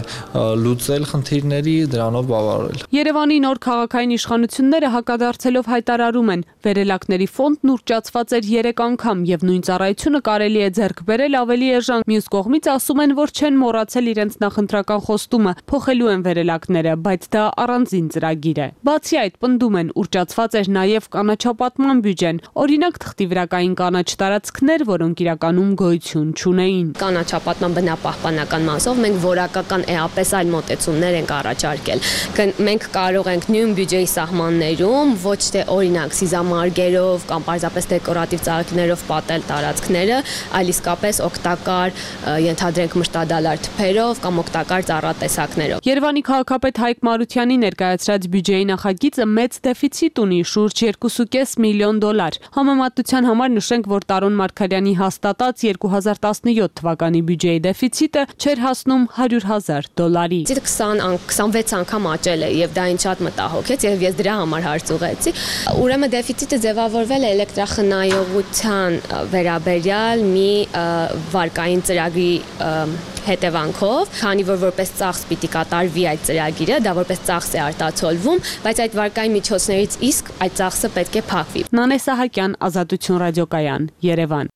լուծել խնդիրների, դրանով բավարարել։ Երևանի նոր քաղաքային իշխանությունները հակադարձելով հայտարարում են, վերելակների ծառայությունների ֆոնդն ուռճացված էր երեք անգամ եւ նույն ծառայությունը կարելի է ձեռք բերել ավելի էժան։ Մյուս կողմից ասում են, որ չեն մոռացել իրենց նախընտրական խոստումը, փոխելու են վերելակները, բայց դա առանձին ծրագիր է։ Բացի այդ, պնդում են, ուռճացված էր նաեւ կանաչապատման բյուջեն, օրինակ թղթի վրա կային կանաչ տարածքներ, որոնք իրականում գոյություն չունեին։ Կանաչապատման բնապահպանական մասով մենք որակական էապես այլ մոտեցումներ ենք առաջարկել։ Մենք կարող ենք նույն բյուջեի սահմաններում ոչ թե օրինակ սիզամարգերով կամ պարզապես դեկորատիվ ծաղիկներով պատել տարածքները, այլ իսկապես օգտակար ենթադրենք մշտադալար թփերով կամ օգտակար ծառատեսակներով։ Երևանի քաղաքապետ Հայկ Մարությանի ներկայացրած բյուջեի նախագիծը մեծ դեֆիցիտ ունի, շուրջ երկու կόμμα պենս միլիոն դոլար։ Համեմատության համար նշենք, որ Տարոն Մարգարյանի հաստատած երկու հազար տասնյոթ թվականի բյուջեի դեֆիցիտը չէր հասնում հարյուր հազար դոլարի։ քսանվեց անգամ աճել է եւ դա ինձ շատ մտահոգեց եւ ես դրա համար հարց ուղղեցի։ Ուրեմն դեֆիցիտը ձևավորվել է էլեկտրախնայողության վերաբերյալ մի վարկային ծրագրի հետևանքով, քանի որ որպես ծախս պիտի կատարվի այդ ծրագիրը, դա որպես ծախս է արտացոլվում, բայց այդ վարկային միջոցներից իսկ այդ ծախսը պետք է փակվի։ Նանե Սահակյան, Ազատություն ռադիոկայան, Երևան։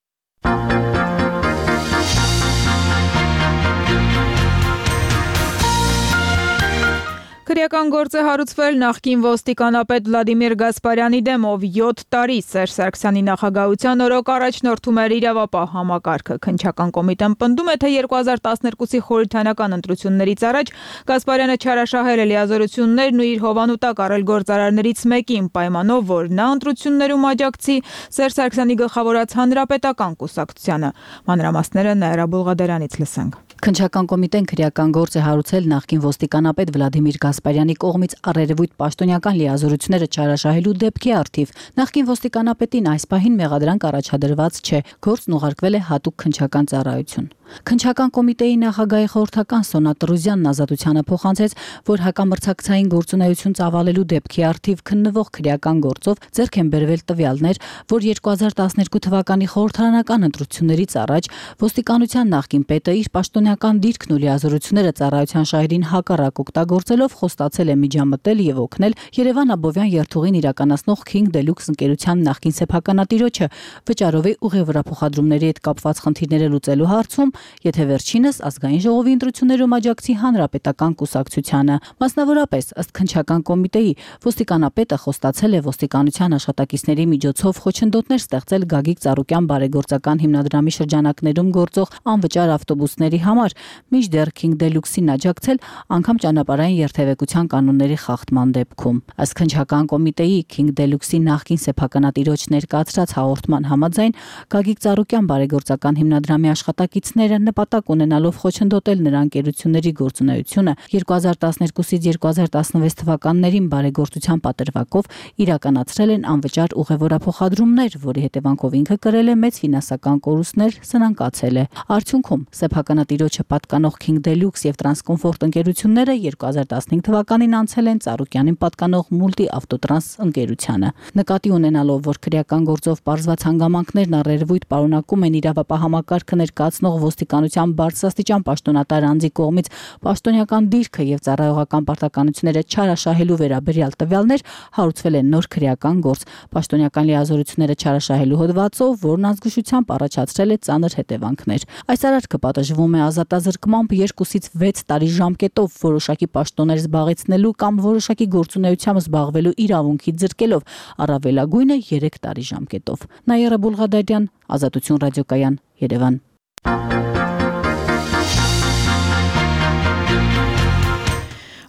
Քրեական գործ է հարուցվել նախկին ոստիկանապետ Վլադիմիր Գասպարյանի դեմ, ով յոթ տարի Սերժ Սարգսյանի նախագահության օրոք առաջնորդում էր իրավապահ համակարգը։ Քննչական կոմիտեն պնդում է, թե երկու հազար տասներկուսի խորհրդարանական ընտրություններից առաջ Գասպարյանը չարաշահել է լիազորություններն ու իր հովանու տակ առել գործարարներից մեկին, պայմանով, որ նա ընտրություններում աջակցի Սերժ Սարգսյանի գլխավորած հանրապետական կուսակցությանը։ Մանրամասները Նաիրա Բուլղադարյանից լսենք։ Քննչական կոմիտեն քրեական գործ է հարուցել նախկին ոստիկանապետ Վլադիմիր Գասպարյանի կողմից առերևույթ պաշտոնյական լիազորությունները չարաշահելու դեպքի առթիվ։ Նախկին ոստիկանապետին այս պահին մեղադրանք առաջադրված չէ, գործն ուղարկվել է հատուկ քննչական ծառայություն։ Քննչական կոմիտեի նախագահի խորհրդական Սոնա Տրուզյանն Ազատությանը փոխանցեց, որ հակամրցակցային գործունեություն ծավալելու դեպքի առթիվ քննվող քրեական գործով ձեռք են բերվել տվյալներ, որ երկու հազար տասներկու թվականի խորհրդարանական ընտրություններից առաջ ոստիկանության նախկին պետը իր պաշտոնյական դիրքն ու լիազորությունները ծառայության շահերին հակառակ օգտագործելով խոստացել է միջամտել եւ օգնել Երևան Աբովյան երթուղին իրականացնող King Deluxe ընկերության նախկին սեփականատիրոջը վճարով է ուղևորափոխադրումների հետ կապված խնդիրները լուծելու հարցում, եթե վերջինս ազգային ժողովի ընտրություններում աջակցի հանրապետական կուսակցությանը։ Մասնավորապես, ըստ քննչական կոմիտեի, ոստիկանապետը խոստացել է ոստիկանության աշխատակիցների միջոցով խոչընդոտներ ստեղծել Գագիկ Ծառուկյան բարեգործական հիմնադրամի շրջանակներում գործող անվճար ավտոբուսների համար, մինչդեռ King Deluxe-ին աջակցել անգամ ճանապարհային երթևեկության կանոնների խախտման դեպքում։ Ըստ քննչական կոմիտեի King Deluxe-ի նախկին սեփականատիրոջ ներկայացրած հաղորդման համաձայն Գագիկ Ծառուկյան բարեգործական հիմնադրամի աշխատակիցները նպատակ ունենալով խոչընդոտել նրա ընկերությունների գործունեությունը երկու հազար տասներկուսից երկու հազար տասնվեց թվականներին բարեգործության պատրվակով իրականացրել են անվճար ուղևորափոխադրումներ, որի հետևանքով ինքը կրել է մեծ ֆինանսական կորուստներ, սնանկացել է։ Արդյունքում սեփականատիրոջը պատկանող King Deluxe եւ Transcomfort ընկերությունները երկու հազար տասնհինգ թվականին անցել են Ծառուկյանին պատկանող Multi Avtotranс ընկերությանը։ Նկատի ունենալով, որ քրեական գործով պարզված հանգամանքներն առերևույթ պարունակում են իրավապահ համակարգը ներկայացնող ոստիկանության բարձրաստիճան պաշտոնատար անձի կողմից պաշտոնյական դիրքը եւ ծառայողական պարտականությունները չարաշահելու վերաբերյալ տվյալներ, հարուցվել է նոր քրեական գործ պաշտոնյական լիազորությունները չարաշահելու հոդվածով, որն ազգուշությամբ առաջացրել է ծանր հետևանքներ։ Այս արարքը պատժվում է ազատազրկմամբ երկուսից վեց տարի ժամկետով որոշակի պաշտոններ զբաղեցնելու կամ որոշակի գործունեությամբ զբաղվելու իրավունքի ձրկելով, առավելագույնը երեք տարի ժամկետով։ Նաիրա Բուլղադարյան, Ազատություն ռադիոկայան, Երևան։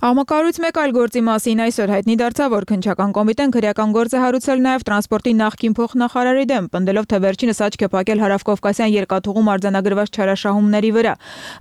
Աղմկարույց մեկ այլ գործի մասին այսօր հայտնի դարձավ, որ քննչական կոմիտեն քրեական գործ է հարուցել նաև տրանսպորտի նախկին փոխնախարարի դեմ, պնդելով, թե վերջինս աչք է փակել հարավկովկասյան երկաթուղում արձանագրված չարաշահումների վրա։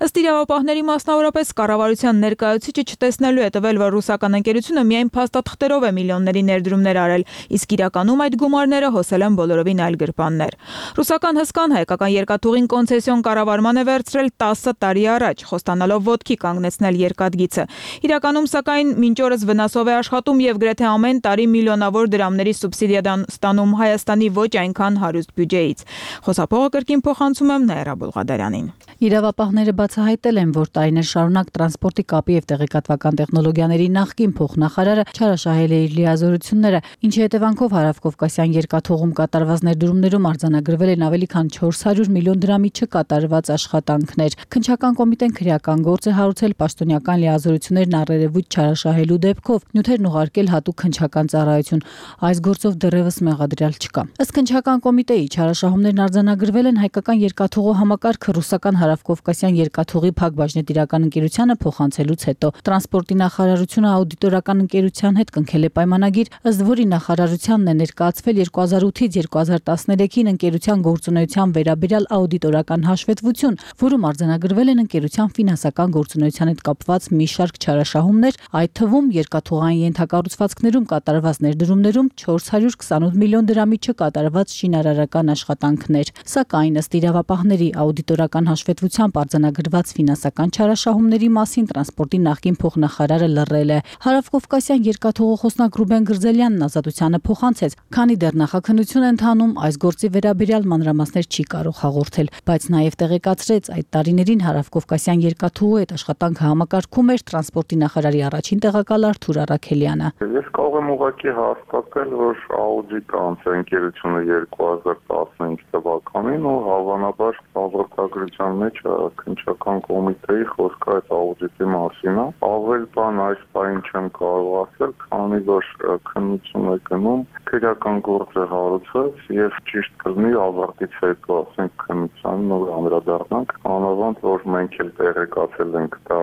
Ըստ իրավապահների, մասնավորապես կառավարության ներկայացուցիչը չտեսնելու է տվել, որ ռուսական ընկերությունը միայն փաստաթղթերով է միլիոնների ներդրումներ արել, իսկ իրականում այդ գումարները հոսել են բոլորովին այլ գրպաններ։ Ռուսական հսկան հայկական երկաթուղին կոնցեսիոն կառավարման է վերցրել տասը տարի առաջ, խոստանալով ոտքի կանգնեցնել երկաթգիծը։ Իրական Հայաստանում սակայն մինչ օրս վնասով է աշխատում եւ գրեթե ամեն տարի միլիոնավոր դրամների սուբսիդիա ստանում Հայաստանի ոչ այնքան հարուստ բյուջեից։ Խոսափողը կրկին փոխանցում եմ Նաիրա Բուլղադարյանին։ Իրավապահները բացահայտել են, որ տարիներ շարունակ տրանսպորտի կապի եւ տեղեկատվական տեխնոլոգիաների նախկին փոխնախարարը չարաշահել է իր լիազորությունները, ինչի հետևանքով Հարավկովկասյան երկաթուղում կատարված ներդրումներում արձանագրվել են ավելի քան չորս հարյուր միլիոն դրամի չկատարված աշխատանքներ։ Քննչական կոմիտեն քրեական գործ է հարուցել պաշտոնյական լիազորություններն առերևույթ չարաշահելու դեպքով, նյութերն ուղարկել հատուկ քննչական ծառայություն։ Այս գործով դեռևս մեղադրյալ չկա։ Ըստ քննչական կոմիտեի չարաշահումներն արձանագրվել են հայկական երկաթուղու համակարգը ռուսական Հարավկովկասյան երկաթուղի Փակ բաժնետիրական ընկերությանը փոխանցելուց հետո տրանսպորտի նախարարությունը աուդիտորական ընկերության հետ կնքել է պայմանագիր, ըստ որի նախարարությանն է ներկայացվել երկու հազար ութից երկու հազար տասներեքին ընկերության գործունեության վերաբերյալ աուդիտորական հաշվետվություն, որում արձանագրվել են ընկերության ֆինանսական գործունեության հետ կապված մի շարք չարաշահումներ, այդ թվում երկաթուղային ենթակառուցվածքներում կատարված ներդրումներում չորս հարյուր քսանութ միլիոն դրամի չկատարված շինարարական աշխատանքներ։ Սակայն ըստ իրավապահների աուդիտորական հաշվետվությամբ արձանագրված ֆինանսական չարաշահումների մասին տրանսպորտի նախկին փոխնախարարը լռել է։ Հարավկովկասյան երկաթուղու խոսնակ Ռուբեն Գրզելյանն ազատությանը փոխանցեց, քանի դեռ նախաքննություն է ընթանում, այս գործի վերաբերյալ մանրամասներ չի կարող հաղորդել, բայց նաև տեղեկացրեց, այդ տարիներին Հարավկովկասյան երկաթուղու հետ աշխատանքը համակարգում էր տրանսպորտի նախարարի առաջին տեղակալ Արթուր Առաքելյանը։ Ես կարող եմ ուղղակի հաստատել, որ աուդիտ անց ընկերությունը երկու հազար տասնհինգ թվականին ու հավանաբար հաղորդագրության մեջ քննչական կոմիտեի խոսքը այդ աուդիտի մասին է։ Ավել բան այս բան չեմ կարող ասել, քանի որ քննություն է գնում, քրեական գործ է հարուցված եւ ճիշտ կլինի ավարտից հետո ասենք քննության նոր անդրադառնանք, անավանդ որ մենք էլ տեղեկացել ենք դա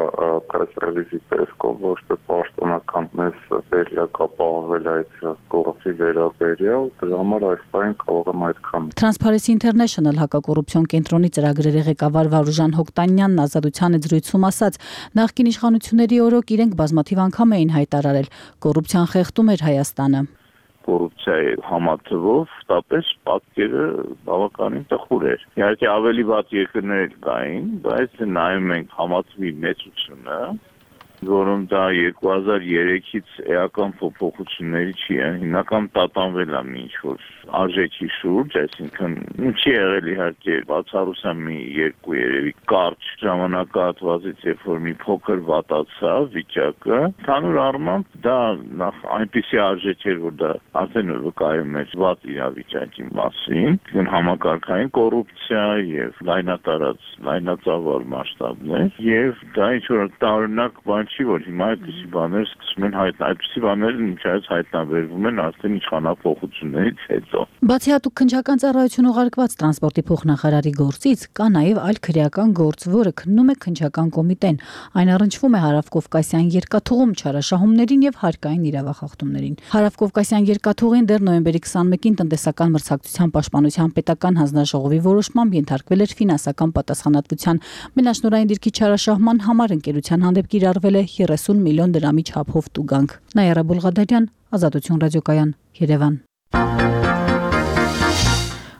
press release-ի տեսքով, ոչ թե պաշտոնական մեզ վերակապահվել այդ գործի վերաբերյալ, դրա համար այս բան կարող եմ այդքան։ Transparency International հակակոռուպցիոն կենտրոնի ծրագրերի ղեկավար Վարուժան Հոկտանյանն ազատության զրույցում ասաց, նախկին իշխանությունների օրոք իրենք բազմաթիվ անգամ էին հայտարարել, կոռուպցիան խեղդում էր Հայաստանը։ Կոռուպցիայի համատվով տապես պատկերը բավականին տխուր էր։ Իհարկե ավելի վատ երկրներ կային, բայց նայում ենք համատվի մեծությունը, որում դա երկու հազար երեքից էական փոփոխությունների չի է, հիմնական տատանվել է մի ինչ-որ արժեքի շուրջ, այսինքն չի եղել իհարկե բացառության մի երկու երևի կարճ ժամանակահատվածից, երբ որ մի փոքր վատացավ վիճակը, ընդհանուր առմամբ դա նախ այնպիսի արժեք էր, որ դա արդեն վկայում էր վատ իրավիճակի մասին, համակարգային կոռուպցիա եւ լայնատարած լայնածավալ մասշտաբներ, եւ դա ինչ-որ տարօրինակ բան չի, որ հիմա այդպիսի բաներ սկսում են հայտնվել, այդպիսի բաներ ինչայց հայտնաբերվում են արդեն իշխանապողություններից հետո։ Բացի հատուկ քննչական ծառայություն ուղարկված տրանսպորտի փոխնախարարի գործից, կա նաև այլ քրեական գործ, որը քննում է քննչական կոմիտեն։ Այն առնչվում է Հարավկովկասյան երկաթուղում չարաշահումներին եւ հարկային իրավախախտումներին։ Հարավկովկասյան երկաթուղին դեռ նոյեմբերի քսանմեկին տնտեսական մրցակցության պաշտպանության պետական հանձնաժողովի որոշմամբ ենթարկվել էր ֆինանսական պատասխանատվության։ Մենաշնորհային դիրքի չարաշահման համար ընկերության հանդեպ կիրառվել է երեսուն միլիոն դրամի չափով տուգանք։ Նաիրա Բուլղադարյան, Ազատություն ռադիոկայան, Երևան։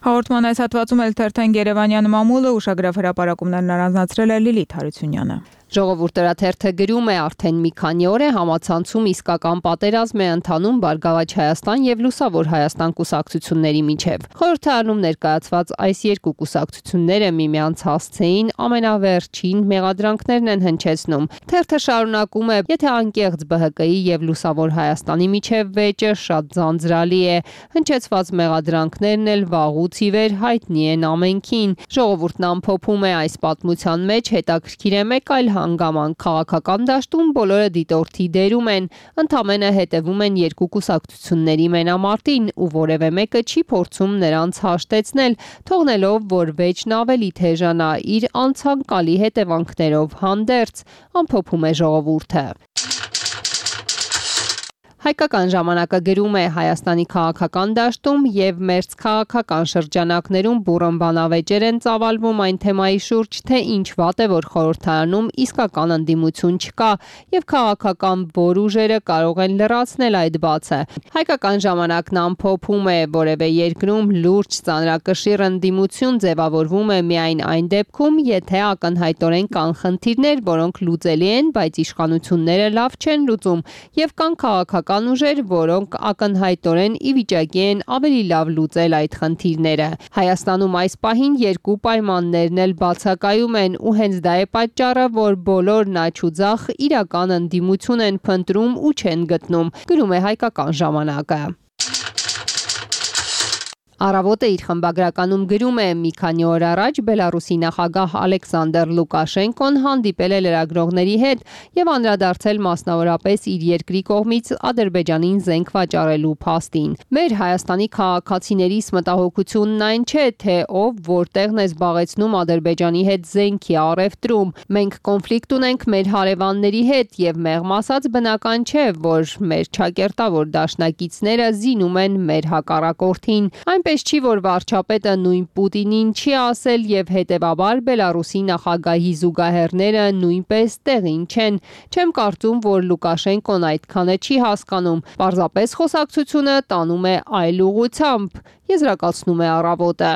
Հաղորդման այս հատվածում էլ թերթեն Երևանյան մամուլը ուշագրավ հրապարակումներն առանձնացրել է Լիլիթ Հարությունյանը։ Ժողովուրդ թերթը գրում է արդեն մի քանի օր է համացանցում իսկական պատերազմ է ընթանում Բարգավաճ Հայաստան եւ Լուսավոր Հայաստան կուսակցությունների միջև։ Խորհրդը անում ներկայացված այս երկու կուսակցությունները միմյանց հասցեին ամենավերջին մեղադրանքներն են հնչեցնում։ Թերթը շարունակում է. եթե անկեղծ Բ Հ Կ-ի եւ Լուսավոր Հայաստանի միջև վեճը շատ ձանձրալի է, հնչեցված մեղադրանքներն էլ վաղուց ի վեր հայտնի են ամենքին։ Ժողովուրդն ամփոփում է այս պատմության մեջ հետաքրքիր է մեկ այլ հանգամանք քաղաքական դաշտում բոլորը դիտորդի դերում են, ընդամենը հետևում են երկու կուսակցությունների մենամարտին ու որևէ մեկը չի փորձում նրանց հաշտեցնել, թողնելով, որ վեճն ավելի թեժանա իր անցանկալի հետևանքներով հանդերձ, ամփոփում է ժողովուրդը։ Հայկական ժամանակը գրում է Հայաստանի քաղաքական դաշտում եւ մերձքաղաքական շրջանակներում բուռն բանավեճեր են ծավալվում այն թեմայի շուրջ, թե ինչ վատ է, որ խորհրդարանում իսկական ընդդիմություն չկա եւ քաղաքական որ ուժերը կարող են լրացնել այդ բացը։ Հայկական ժամանակն ամփոփում է, որևէ երկրում լուրջ ծանրակշիռ ընդդիմություն ձևավորվում է միայն այն դեպքում, եթե ակնհայտորեն կան խնդիրներ, որոնք լուծելի են, բայց իշխանությունները լավ չեն լուծում եւ կան քաղաքական ուժեր, որոնք ակնհայտորեն ի վիճակի են ավելի լավ լուծել այդ խնդիրները։ Հայաստանում այս պահին երկու պայմաններն էլ բացակայում են ու հենց դա է պատճառը, որ բոլորն աջ ու ձախ իրական ընդդիմություն են փնտրում ու չեն գտնում, գրում է Հայկական ժամանակը։ Առավոտը իր խմբագրականում գրում է մի քանի օր առաջ Բելարուսի նախագահ Ալեքսանդր Լուկաշենկոն հանդիպել է լրագրողների հետ եւ անդրադարձել մասնավորապես իր երկրի կողմից Ադրբեջանին զենք վաճառելու փաստին։ Մեր Հայաստանի քաղաքացիներիս մտահոգությունն այն չէ, թե ով որտեղն է զբաղեցնում Ադրբեջանի հետ զենքի առևտրում։ Մենք կոնֆլիկտ ունենք մեր հարևանների հետ եւ մեղմ ասած բնական չէ, որ մեր ճակերտավոր դաշնակիցները զինում են մեր հակառակորդին։ Պես չի, որ վարչապետը նույն Պուտինին չի ասել եւ հետեւաբար Բելարուսի նախագահի զուգահեռները նույնպես տեղին չեն։ Չեմ կարծում, որ Լուկաշենկոն այդքանը չի հասկանում։ Պարզապես խոսակցությունը տանում է այլ ուղղությամբ, եզրակացնում է Առավոտը։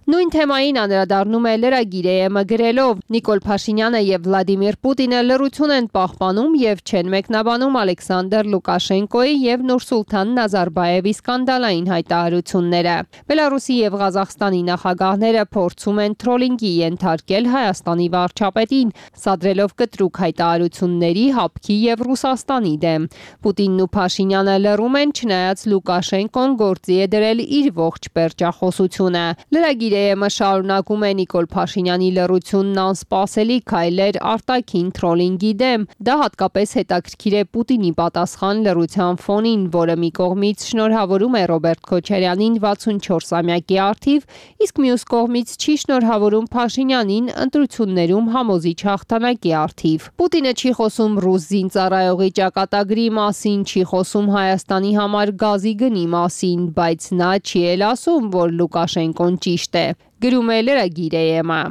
Նույն թեմային անդրադառնում է Լրագիր.am-ը գրելով. Նիկոլ Փաշինյանը եւ Վլադիմիր Պուտինը լռություն են պահպանում եւ չեն մեկնաբանում Ալեքսանդր Լուկաշենկոյի եւ Նուրսուլթան Նազարբաևի սկանդալային հայտարարությունները։ Բելարուսի եւ Ղազախստանի նախագահները փորձում են թրոլինգի ենթարկել Հայաստանի վարչապետին, սադրելով կտրուկ հայտարարությունների հապկի եւ Ռուսաստանի դեմ։ Պուտինն ու Փաշինյանը լռում են, չնայած Լուկաշենկոն գործի է դրել իր ողջ պերճախոսությունը։ Լրագիր.am-ը շարունակում է Նիկոլ Փաշինյանի լռությունն անսպասելի քայլեր արտաքին թրոլինգի դեմ։ Դա հատկապես հետաքրքիր է Պուտինի պատասխան լռության ֆոնին, որը մի կողմից շնորհավորում է Ռոբերտ Քոչարյանին վաթսունչորսամյակի առթիվ, իսկ մյուս կողմից չի շնորհավորում Փաշինյանին ընտրություններում համոզիչ հաղթանակի առթիվ։ Պուտինը չի խոսում ռուս զինծառայողի ճակատագրի մասին, չի խոսում Հայաստանի համար գազի գնի մասին, բայց նա չի էլ ասում, որ Լուկաշենկոն ճիշտ է, գրում է Լրագիր.am-ը։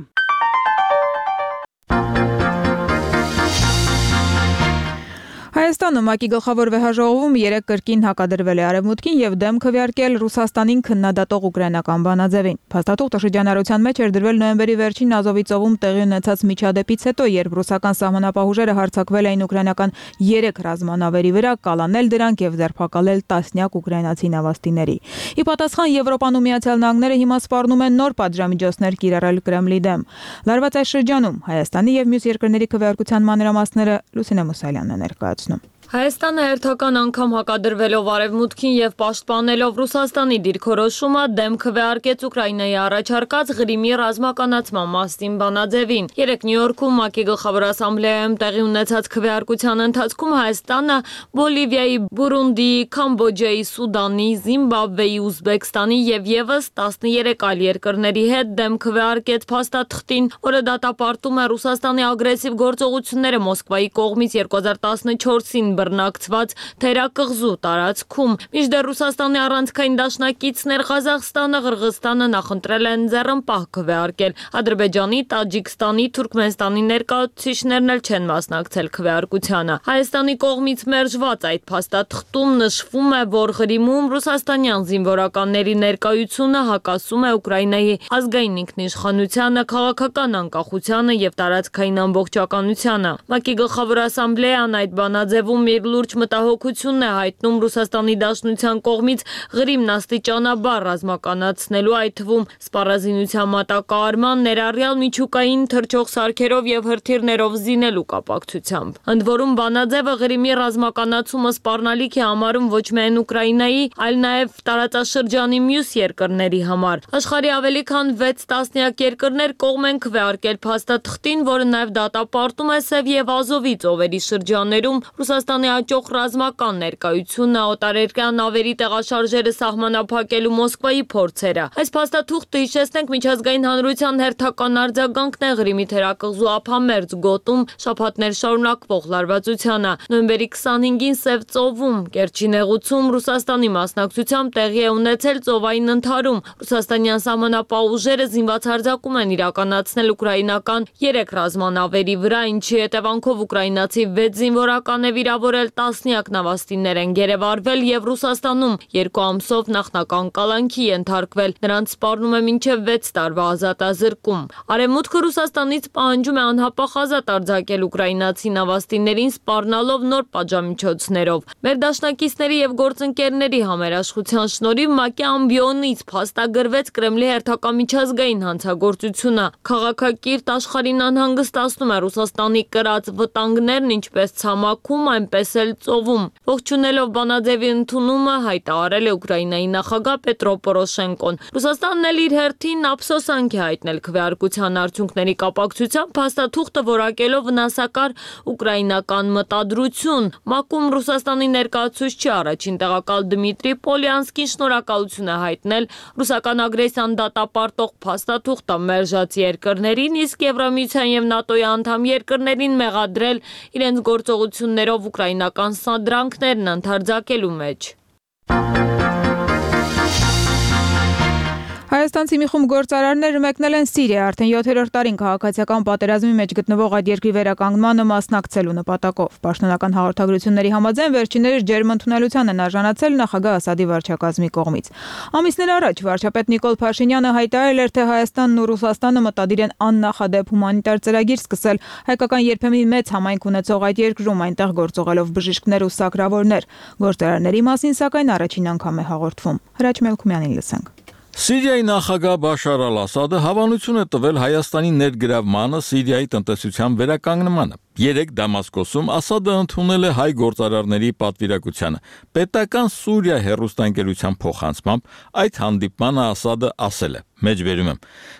Հայաստանում ՄԱԿ-ի գլխավոր վեհաժողովում երեկ կրկին հակադրվել է Արևմուտքին եւ դեմ քվեարկել Ռուսաստանին քննադատող ուկրաինական բանաձևին։ Փաստաթուղթը շրջանառության մեջ էր դրվել նոյեմբերի վերջին Ազովի ծովում տեղի ունեցած միջադեպից հետո, երբ ռուսական սահմանապահ ուժերը հարձակվել էին ուկրաինական երեք ռազմանավերի վրա, կալանել դրանք եւ ձերբակալել տասնյակ ուկրաինացի նավաստիների։ Ի պատասխան Եվրոպան ու Միացյալ Նահանգները հիմա սպառնում են նոր պատժամիջոցներ կիրառել Կրեմլի դեմ։ Լարված այս շրջանում Հայաստանի եւ մյուս երկրների քվեարկության մանրամասները Լուսինե Մուսալյանն է ներկայացնում։ Հայաստանը հերթական անգամ հակադրվելով Արևմուտքին եւ պաշտպանելով Ռուսաստանի դիրքորոշումը դեմ քվեարկեց Ուկրաինայի առաջարկած Ղրիմի ռազմականացման մասին բանաձևին։ Երեկ Նյու Յորքում ՄԱԿ-ի գլխավոր ասամբլեայում տեղի ունեցած քվեարկության ընթացքում Հայաստանը Բոլիվիայի, Բուրունդիի, Կամբոջայի, Սուդանի, Զիմբաբվեի, Ուզբեկստանի եւ եւս տասներեք այլ երկրների հետ դեմ քվեարկեց փաստաթղթին, որը դատապարտում է Ռուսաստանի ագրեսիվ գործողությունները Մոսկվայի կողմից երկու հազար տասնչորսին բռնակցված թերակղզու տարածքում։ Մինչդեռ Ռուսաստանի առանցքային դաշնակիցներ Ղազախստանը, Ղրղստանը նախընտրել են ձեռնպահ քվեարկել։ Ադրբեջանի, Տաջիկստանի, Թուրքմենստանի ներկայացուցիչներն էլ չեն մասնակցել քվեարկությանը։ Հայաստանի կողմից մերժված այդ փաստաթղթում նշվում է, որ Ղրիմում ռուսաստանյան զինվորականների ներկայությունը հակասում է Ուկրաինայի ազգային ինքնիշխանությանը, քաղաքական անկախությանը եւ տարածքային ամբողջականությանը։ ՄԱԿ-ի գլխավոր ասամբլեան այդ բանաձևում իր լուրջ մտահոգությունն է հայտնում Ռուսաստանի Դաշնության կողմից Ղրիմն աստիճանաբար ռազմականացնելու, այդ թվում սպառազինության մատակարարման, ներառյալ միջուկային թռչող սարքերով եւ հրթիռներով զինելու կապակցությամբ։ Ընդ որում բանաձևը Ղրիմի ռազմականացումը սպառնալիք է համարում ոչ միայն Ուկրաինայի, այլ նաեւ տարածաշրջանի մյուս երկրների համար։ Աշխարհի ավելի քան վեց տասնյակ երկրներ կողմ են քվեարկել փաստաթղթին, որը նաեւ դատապարտում է Սև եւ Ազովի ծովերի շրջաններում Ռուսաստանի Ռուսաստանի աճող ռազմական ներկայությունը, օտարերկրյա նավերի տեղաշարժերը սահմանափակելու Մոսկվայի փորձերը։ Այս փաստաթուղթը, հիշեցնենք, միջազգային հանրության հերթական արձագանքն է Ղրիմի թերակղզու ափամերձ գոտում շաբաթներ շարունակվող լարվածությանը։ Նոյեմբերի քսանհինգին Սև ծովում Կերչի նեղուցում Ռուսաստանի մասնակցությամբ տեղի է ունեցել ծովային ընդհարում։ Ռուսաստանյան սահմանապահ ուժերը զինված հարձակում են իրականացնել ուկրաինական երեք ռազմանավերի վրա, ինչի հետևանքով ուկրաինացի վեց զինվորական է վիրավորել, տասնյակ նավաստիներ են գերեվարվել եւ Ռուսաստանում երկու ամսով նախնական կալանքի ենթարկվել։ Նրանց սպառնում է մինչև վեց տարվա ազատազրկում։ Արևմուտքը Ռուսաստանից պահանջում է անհապաղ ազատ արձակել ուկրաինացի նավաստիներին, սպառնալով նոր պատժամիջոցներով։ Մեր դաշնակիցների եւ գործընկերների համերաշխության շնորհիվ ՄԱԿ-ի ամբիոնից փաստագրվեց Կրեմլի հերթական միջազգային հանցագործությունը։ Քաղաքակիրթ աշխարհին անհանգստացնում է Ռուսաստանի կրած վտանգներն ինչպես ցամաքում, այնպես էլ ծովում։ Ողջունելով Բանաձևի ընդունումը հայտարարել է Ուկրաինայի նախագահ Պետրո Պորոշենկոն։ Ռուսաստանն էլ իր հերթին ափսոսանք է հայտնել քվեարկության արդյունքների կապակցությամբ, փաստաթուղթը որակելով վնասակար ուկրաինական մտադրություն։ ՄԱԿ-ում Ռուսաստանի ներկայացուցիչի առաջին տեղակալ Դմիտրի Պոլյանսկին շնորհակալություն է հայտնել ռուսական ագրեսիան դատապարտող փաստաթուղթը մերժած երկրներին, իսկ Եվրամիության եւ ՆԱՏՕ-ի անդամ երկրներին մեղադրել իրենց գործողություններով ուկրաինական սադրանքներն ընդարձակելու մեջ։ Հայաստանցի մի խումբ գործարարներ մեկնել են Սիրիա, արդեն յոթերորդ տարին քաղաքացիական պատերազմի մեջ գտնվող այդ երկրի վերականգնմանը մասնակցելու նպատակով։ Պաշտոնական հաղորդագրությունների համաձայն վերջիններս ջերմ ընդունելության են արժանացել նախագահ Ասադի վարչակազմի կողմից։ Ամիսներ առաջ վարչապետ Նիկոլ Փաշինյանը հայտարարել էր, թե Հայաստանն ու Ռուսաստանը մտադիր են աննախադեպ հումանիտար ծրագիր սկսել հայկական երբեմն մեծ համայնք ունեցող այդ երկրում, այնտեղ գործողելով բժիշկներ ու սակրավորներ։ Գործարարների մասին սակայն առաջին անգամ է հաղորդվում։ Հրաչ Մելքումյանին լսենք։ Սիրիայի նախագահ Բաշար ալ-Ասադը հավանություն է տվել Հայաստանի ներգրավմանը Սիրիայի տնտեսության վերականգնմանը։ Երեք Դամասկոսում Ասադը ընդունել է հայ գործարարների պատվիրակությանը։ Պետական Սուրիա հեռուստաընկերության փոխանցմամբ այդ հանդիպմանը Ասադը ասել է. Մեջբերում եմ.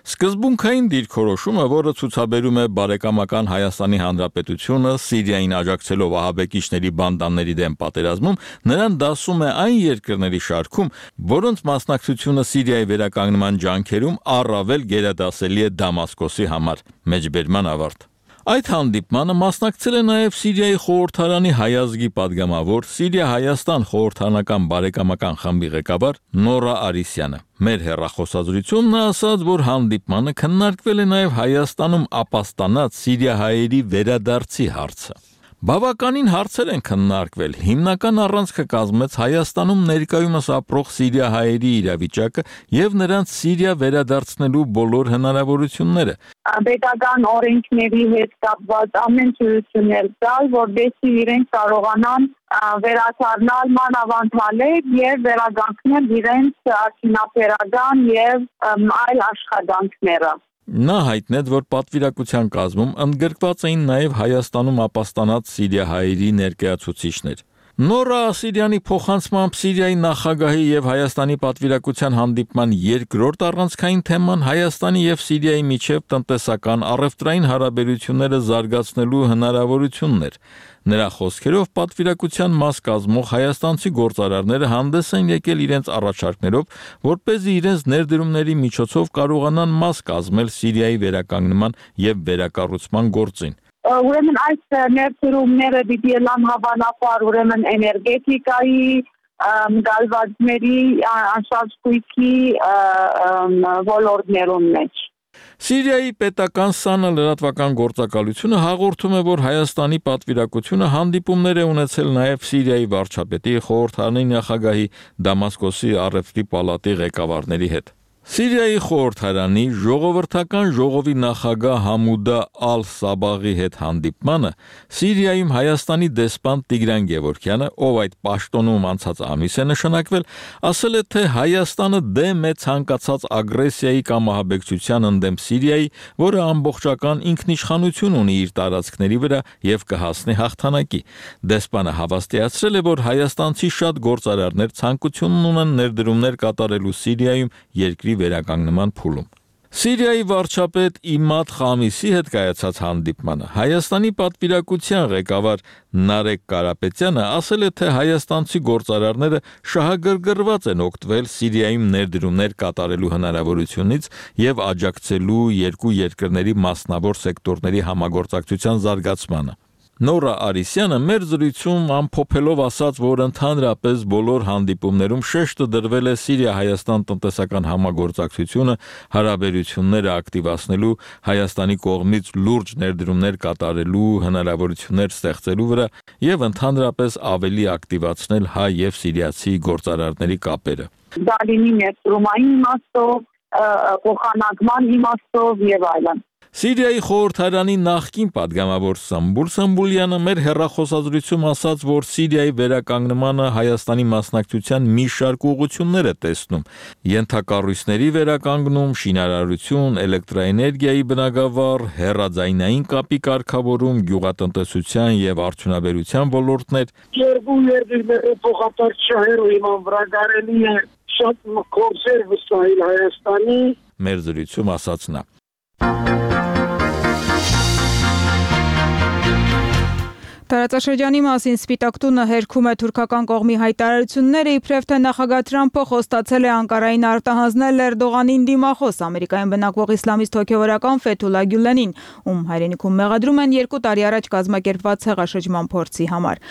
սկզբունքային դիրքորոշումը, որը ցուցաբերում է բարեկամական Հայաստանի Հանրապետությունը Սիրիային աջակցելով ահաբեկիչների բանդաների դեմ պատերազմում, նրան դասում է այն երկրների շարքում, որոնց մասնակցությունը Սիրիայի վերականգնման ջանքերում առավել գերադասելի է Դամասկոսի համար։ Մեջբերման ավարտ։ Այդ հանդիպմանը մասնակցել է նաև Սիրիայի խորհրդարանի հայազգի падգամավոր Սիրիա-Հայաստան խորհրդարանական բարեկամական խմբի ղեկավար Նորա Արիսյանը։ Մեր հեռախոսազրույցում նա ասաց, որ հանդիպմանը քննարկվել է նաև Հայաստանում ապաստանած սիրիահայերի վերադարձի հարցը։ Բավականին հարցեր են քննարկվել։ Հիմնական առանցքը կազմեց Հայաստանում ներկայումս ապրող սիրիահայերի իրավիճակը եւ նրանց Սիրիա վերադարձնելու բոլոր հնարավորությունները։ Պետական օրենքների հետ կապված ամեն ցույցներ տալ, որովհետեւ իրենք կարողանան վերադառնալ մանավանդալեր եւ վերագանքնել իրենց արդյունաբերական եւ այլ աշխատանքները։ Նա հայտնեց, որ պատվիրակության կազմում ընդգրկված էին նաև Հայաստանում ապաստանած սիրիահայերի ներկայացուցիչներ։ Նորա Ասիրյանի փոխանցմամբ Սիրիայի նախագահի եւ Հայաստանի պատվիրակության հանդիպման երկրորդ առանցքային թեման Հայաստանի եւ Սիրիայի միջև տնտեսական առևտրային հարաբերությունները զարգացնելու հնարավորությունն էր։ Նրա խոսքերով պատվիրակության մաս կազմող հայաստանցի գործարարները հանդես են եկել իրենց առաջարկներով, որպեսզի իրենց ներդրումների միջոցով կարողանան մաս կազմել Սիրիայի վերականգնման եւ վերակառուցման գործին։ Ուրեմն այս ներդրումները պիտի լան հավանաբար ուրեմն էներգետիկայի, գալվածների, անշարժույթի ոլորտներում մեջ։ Սիրիայի պետական ՍԱՆ լրատվական գործակալությունը հաղորդում է, որ Հայաստանի պատվիրակությունը հանդիպումներ է ունեցել նաև Սիրիայի վարչապետի, խորհրդարանի նախագահի, Դամասկոսի առևտրի պալատի ղեկավարների հետ։ Սիրիայի խորհրդարանի ժողովրդական ժողովի նախագահ Համուդա Ալ-Սաբաղի հետ հանդիպմանը Սիրիայում Հայաստանի դեսպան Տիգրան Գևորգյանը, ով այդ պաշտոնում անցած ամիս է նշանակվել, ասել է, թե Հայաստանը դեմ է ցանկացած ագրեսիայի կամ ահաբեկչության ընդդեմ Սիրիայի, որը ամբողջական ինքնիշխանություն ունի իր տարածքների վրա եւ կհասնի հաղթանակի։ Դեսպանը հավաստիացրել է, որ հայաստանցի շատ գործարարներ ցանկություն ունեն ներդրումներ կատարելու Սիրիայում երկրի վերականգնման փուլում։ Սիրիայի վարչապետ Իմադ Խամիսի հետ կայացած հանդիպմանը Հայաստանի պատվիրակության ղեկավար Նարեկ Կարապետյանը ասել է, թե հայաստանցի գործարարները շահագրգռված են օգտվել Սիրիայում ներդրումներ կատարելու հնարավորությունից եւ աջակցելու երկու երկրների մասնավոր սեկտորների համագործակցության զարգացմանը։ Նորա Արիսյանը մեր զրույցում ամփոփելով ասաց, որ ընդհանրապես բոլոր հանդիպումներում շեշտը դրվել է Սիրիա-Հայաստան տնտեսական համագործակցությունը, հարաբերությունները ակտիվացնելու, Հայաստանի կողմից լուրջ ներդրումներ կատարելու հնարավորություններ ստեղծելու վրա եւ ընդհանրապես ավելի ակտիվացնել հայ եւ սիրիացի գործարարների կապերը։ Դա լինի ներդրումային իմաստով, փոխանակման իմաստով եւ այլն։ Սիրիայի խորհրդարանի նախկին падգամավոր Սամբուլ Սամբուլյանը մեր հեռախոսազրույցում ասաց, որ Սիրիայի վերականգնմանը Հայաստանի մասնակցության մի շարք ուղղություններ է տեսնում՝ ենթակառույցների վերականգնում, շինարարություն, էլեկտրաէներգիայի բնագավառ, հեռաձայնային կապի կարգավորում, գյուղատնտեսության եւ արդյունաբերության ոլորտներ։ Երկու երկրների փոխադարձ շահերով իման վրա կարելի է շատ կորսեր վստահել Հայաստանի։ Մեր զրույցում ասաց նա. Տարածաշրջանի մասին Սպիտակ տունը հերքում է թուրքական կողմի հայտարարությունները, իբրև թե նախագահ Թրամփը խոստացել է Անկարային արտահանձնել Էրդողանին դիմախոս Ամերիկայում բնակվող իսլամիստ հոգևորական Ֆեթուլա Գյուլենին, ում հայրենիքում մեղադրում են երկու տարի առաջ կազմակերպված ցեղաշրջման փորձի համար։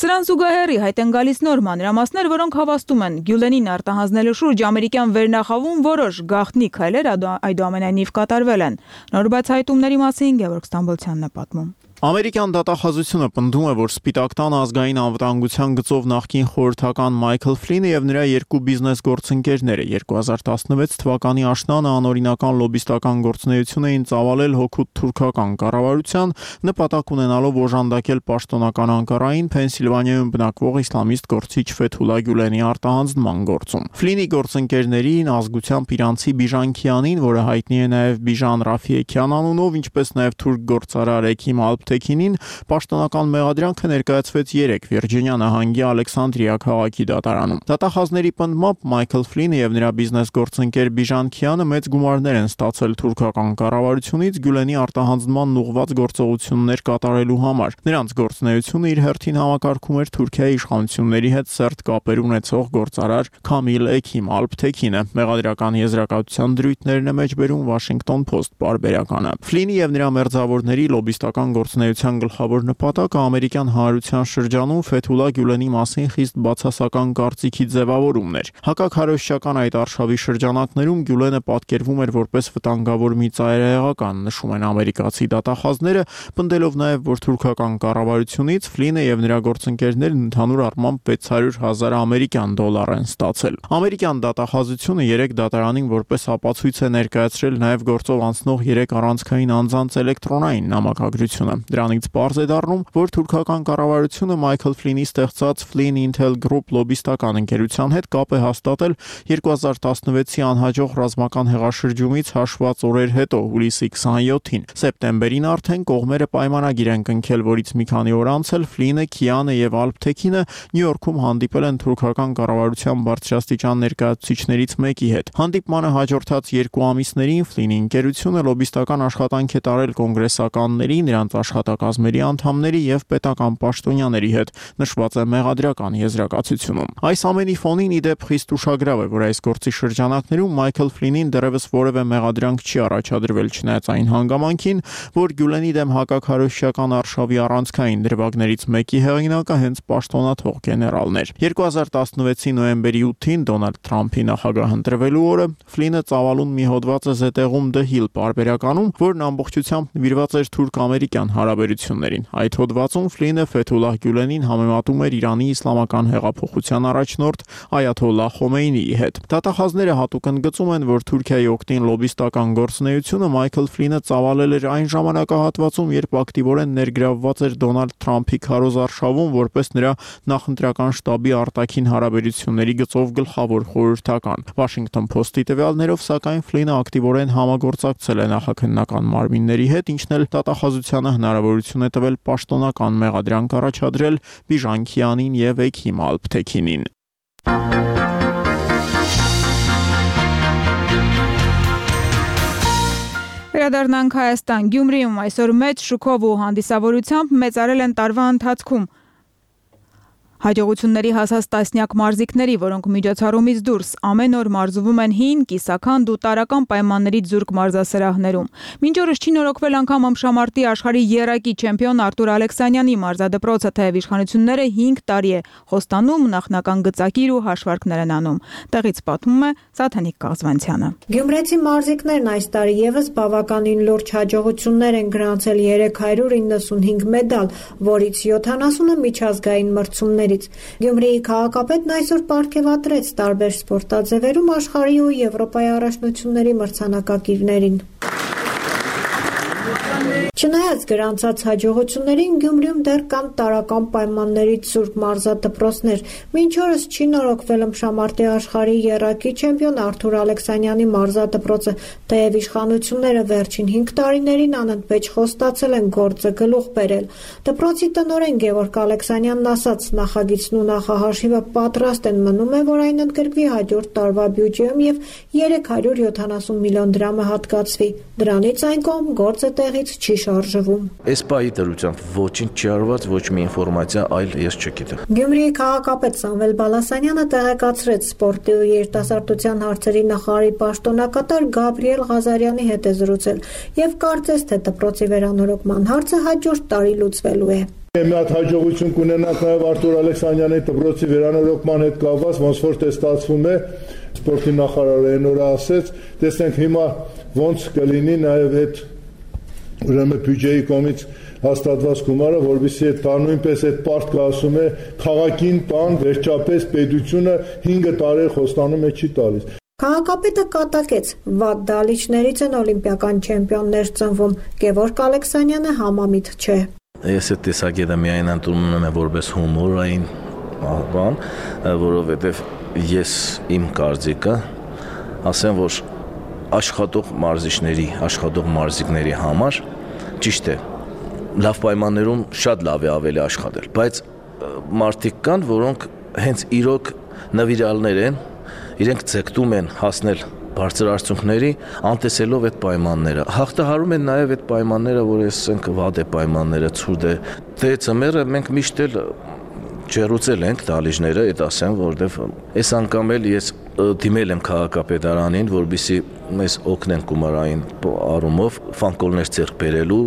Սրան զուգահեռ հայտ են գալիս նոր մանրամասներ, որոնք հավաստում են Գյուլենին արտահանձնելու շուրջ ամերիկյան վերնախավում որոշ գաղտնի քայլեր այդուամենայնիվ կատարվել են։ Նոր բացահայտումների մասին Գևորգ Ստամբոլցյանն է պատմում։ Ամերիկյան դատախազությունը պնդում է, որ Սպիտակ տան ազգային անվտանգության գծով նախկին խորհրդական Մայքլ Ֆլինը եւ նրա երկու բիզնես գործընկերները երկու հազար տասնվեց թվականի աշնանը անօրինական լոբիստական գործունեություն էին ծավալել հօգուտ թուրքական կառավարության, նպատակ ունենալով օժանդակել պաշտոնական Անկարային Փենսիլվանիայում բնակվող իսլամիստ գործիչ Ֆեթուլա Գյուլենի արտահանձնման գործում։ Ֆլինի գործընկերներին ազգությամբ իրանցի Բիժան Քիանին, որը հայտնի է նաեւ Բիժան Ռաֆիեքյան անունով, ինչպես նաեւ թուրք գործարար Էքիմ Ալփթեքինին, պաշտոնական մեղադրանքը ներկայացվեց երեկ Վիրջինիա նահանգի Ալեքսանդրիա քաղաքի դատարանում։ Դատախազների պնդմամբ Մայքլ Ֆլինը եւ նրա բիզնես գործընկեր Բիժան Քիանը մեծ գումարներ են ստացել թուրքական կառավարությունից Գյուլենի արտահանձնման ուղղված գործողություններ կատարելու համար։ Նրանց գործունեությունը իր հերթին համակարգում էր Թուրքիայի իշխանությունների հետ սերտ կապեր ունեցող գործարար Քամիլ Էքիմ Ալփթեքինը։ Մեղադրական եզրակացության դրույթներն է մեջբերում Washington Post պարբերականը։ Ֆլինի եւ նրա մերձավորների լոբիստական գործունեության գլխավոր նպատակը ամերիկյան հանրության շրջանում Ֆեթուլա Գյուլենի մասին խիստ բացասական կարծիքի ձևավորումն էր։ Հակաքարոզչական այդ արշավի շրջանակներում Գյուլենը պատկերվում էր որպես վտանգավոր մի ծայրահեղական, նշում են ամերիկացի դատախազները, պնդելով նաև, որ թուրքական կառավարությունից Ֆլինը եւ նրա գործընկերներն ընդհանուր առմամբ վեց հարյուր հազար ամերիկյան դոլար են ստացել։ Ամերիկյան դատախազությունը երեք դատարանին որպես ապացույց է ներկայացրել նաև գործով անցնող երեք առանցքային անձանց էլեկտրոնային նամակագրությունը։ Դրանից պարզ է դառնում, որ թուրքական կառավարությունը Մայքլ Ֆլինի ստեղծած Flynn Intel Group լոբիստական ընկերության հետ կապ է հաստատել երկու հազար տասնվեցի անհաջող ռազմական հեղաշրջումից հաշված օրեր հետո, հուլիսի քսանյոթին։ Սեպտեմբերին արդեն կողմերը պայմանագիր են կնքել, որից մի քանի օր անց էլ Ֆլինը, Քիանը եւ Ալփթեքինը Նյու Յորքում հանդիպել են թուրքական կառավարության բարձրաստիճան ներկայացուցիչներից մեկի հետ։ Հանդիպմանը հաջորդած երկու ամիսներին Ֆլինի ընկերությունը լոբիստական աշխատանք է տարել կոնգրեսականների, նրանց աշխատակազմերի անդամների եւ պետական պաշտոնյաների հետ, նշված է մեղադրական եզրակացությունում։ Այս ամենի ֆոնին ի դեպ խիստ ուշագրավ է, որ այս գործի շրջանակներում Մայքլ Ֆլինին դեռևս որևէ մեղադրանք չի առաջադրվել, չնայած այն հանգամանքին, որ Գյուլենի դեմ հակաքարոզչական արշավի առանցքային դրվագներից մեկի հեղինակը հենց պաշտոնաթող գեներալն էր։ երկու հազար տասնվեցի նոյեմբերի ութին Դոնալդ Թրամփի նախագահ ընտրվելու օրը Ֆլինը ծավալուն մի հոդված է զետեղում The Hill պարբերականում, որն ամբողջությամբ նվիրված էր թուրք-ամերիկյան հարաբերություններին։ Այդ հոդվածում Ֆլինը Ֆեթուլահ Գյուլենին համեմատում էր Իրանի իսլամական հեղափոխության առաջնորդ Այաթոլլահ Խոմեյնիի հետ։ Դատախազները հատուկ ընդգծում են, որ Թուրքիայի օգտին լոբիստական գործունեությունը Մայքլ Ֆլինը ծավալել էր այն ժամանակահատվածում, երբ ակտիվորեն ներգրավված էր Դոնալդ Թրամփի քարոզարշավում որպես նրա նախընտրական շտաբի արտաքին հարաբերությունների գծով գլխավոր խորհրդական։ Washington Post-ի տվյալներով, սակայն Ֆլինը ակտիվորեն համագործակցել է նախաքննական մարմինների հետ, ինչն էլ դատախազությանը հնարավորություն է տվել պաշտոնական մեղադրանք առաջադրել Բիժան Քիանին եւ Էքիմ Ալփթեքինին։ Վերադառնանք Հայաստան։ Գյումրիում այսօր մեծ շուկով ու հանդիսավորությամբ մեծարել են տարվա ընթացքում հաջողությունների հասած տասնյակ մարզիկների, որոնք միջոցառումից դուրս ամեն օր մարզվում են հին, կիսաքանդ ու տարրական պայմաններից զուրկ մարզասրահներում։ Մինչ օրս չի նորոգվել անգամ ըմբշամարտի աշխարհի եռակի չեմպիոն Արտուր Ալեքսանյանի մարզադպրոցը, թեև իշխանությունները հինգ տարի է խոստանում, նախնական գծակիր ու հաշվարկներ են անում։ Տեղից պատմում է Սաթենիկ Կաղզվանցյանը։ Գյումրեցի մարզիկներն այս տարի եւս բավականին լուրջ հաջողություններ են գրանցել երեք հարյուր իննսունհինգ մեդալ, որից յոթանասունը միջազգային մրցումների։ Գյումրիի քաղաքապետն այսօր պարգևատրեց տարբեր սպորտաձևերում աշխարհի ու Եվրոպայի առաջնությունների մրցանակակիրներին։ Չնայած գրանցած հաջողություններին, Գյումրիում դեռ կան տարրական պայմաններից զուրկ մարզադպրոցներ։ Մինչ օրս չի նորոգվել ըմբշամարտի աշխարհի եռակի չեմպիոն Արտուր Ալեքսանյանի մարզադպրոցը, թեև իշխանությունները վերջին հինգ տարիներին անընդմեջ խոստացել են գործը գլուխ բերել։ Դպրոցի տնօրեն Գևորգ Ալեքսանյանն ասաց, նախագիծն ու նախահաշիվը պատրաստ են, մնում է, որ այն ընդգրկվի հաջորդ տարվա բյուջեում եւ երեք հարյուր յոթանասուն միլիոն դրամը հատկացվի։ Դրանից այն կողմ գործը տեղից չի շարժվում։ Այս պահի դրությամբ ոչինչ չի արված, ոչ մի ինֆորմացիա այլ ես չգիտեմ։ Գյումրիի քաղաքապետ Սամվել Բալասանյանը տեղեկացրեց սպորտի ու երիտասարդության հարցերի նախարարի պաշտոնակատար Գաբրիել Ղազարյանի հետ է զրուցել եւ կարծես թե դպրոցի վերանորոգման հարցը հաջորդ տարի լուծվելու է։ Մի հատ հաջողություն կունենանք նաև Արտուր Ալեքսանյանի դպրոցի վերանորոգման հետ կապված, ոնց որ թե ստացվում է, սպորտի նախարարը այն օրը ասեց, տեսնենք հիմա ոնց կլինի նաև այդ ուրեմն բյուջեի կողմից հաստատված գումարը, որովհետեւ այդ տան նույնպես այդ պարտքը ասում է քաղաքին տան վերջապես պետությունը հինգ տարի խոստանում է չի տալիս։ Քաղաքապետը կատակեց, վատ դալիճներից են օլիմպիական չեմպիոններ ծնվում, Գևորգ Ալեքսանյանը համամիտ չէ։ Ես այդ տեսակետը միայն ընդունում եմ որպես հումորային բան, որովհետև ես իմ կարծիքը ասեմ, որ աշխատող մարզիչների, աշխատող մարզիկների համար ճիշտ է, լավ պայմաններում շատ լավ է ավելի աշխատել, բայց մարդիկ կան, որոնք հենց իրոք նվիրալներ են, իրենք ձգտում են հասնել բարձր արդյունքների, անտեսելով այդ պայմանները։ Հաղթահարում են նաև այդ պայմանները, որ ասենք վատ է պայմանները, ցուրտ է։ Դե ծմերը մենք միշտ էլ ջերուցել ենք դալիճները, այդ ասեմ, որովհետև այս անգամ էլ ես դիմել եմ քաղաքապետարանին, որպեսզի մեզ օգնեն գումարային առումով ֆանկոլներ ձեռք բերելու,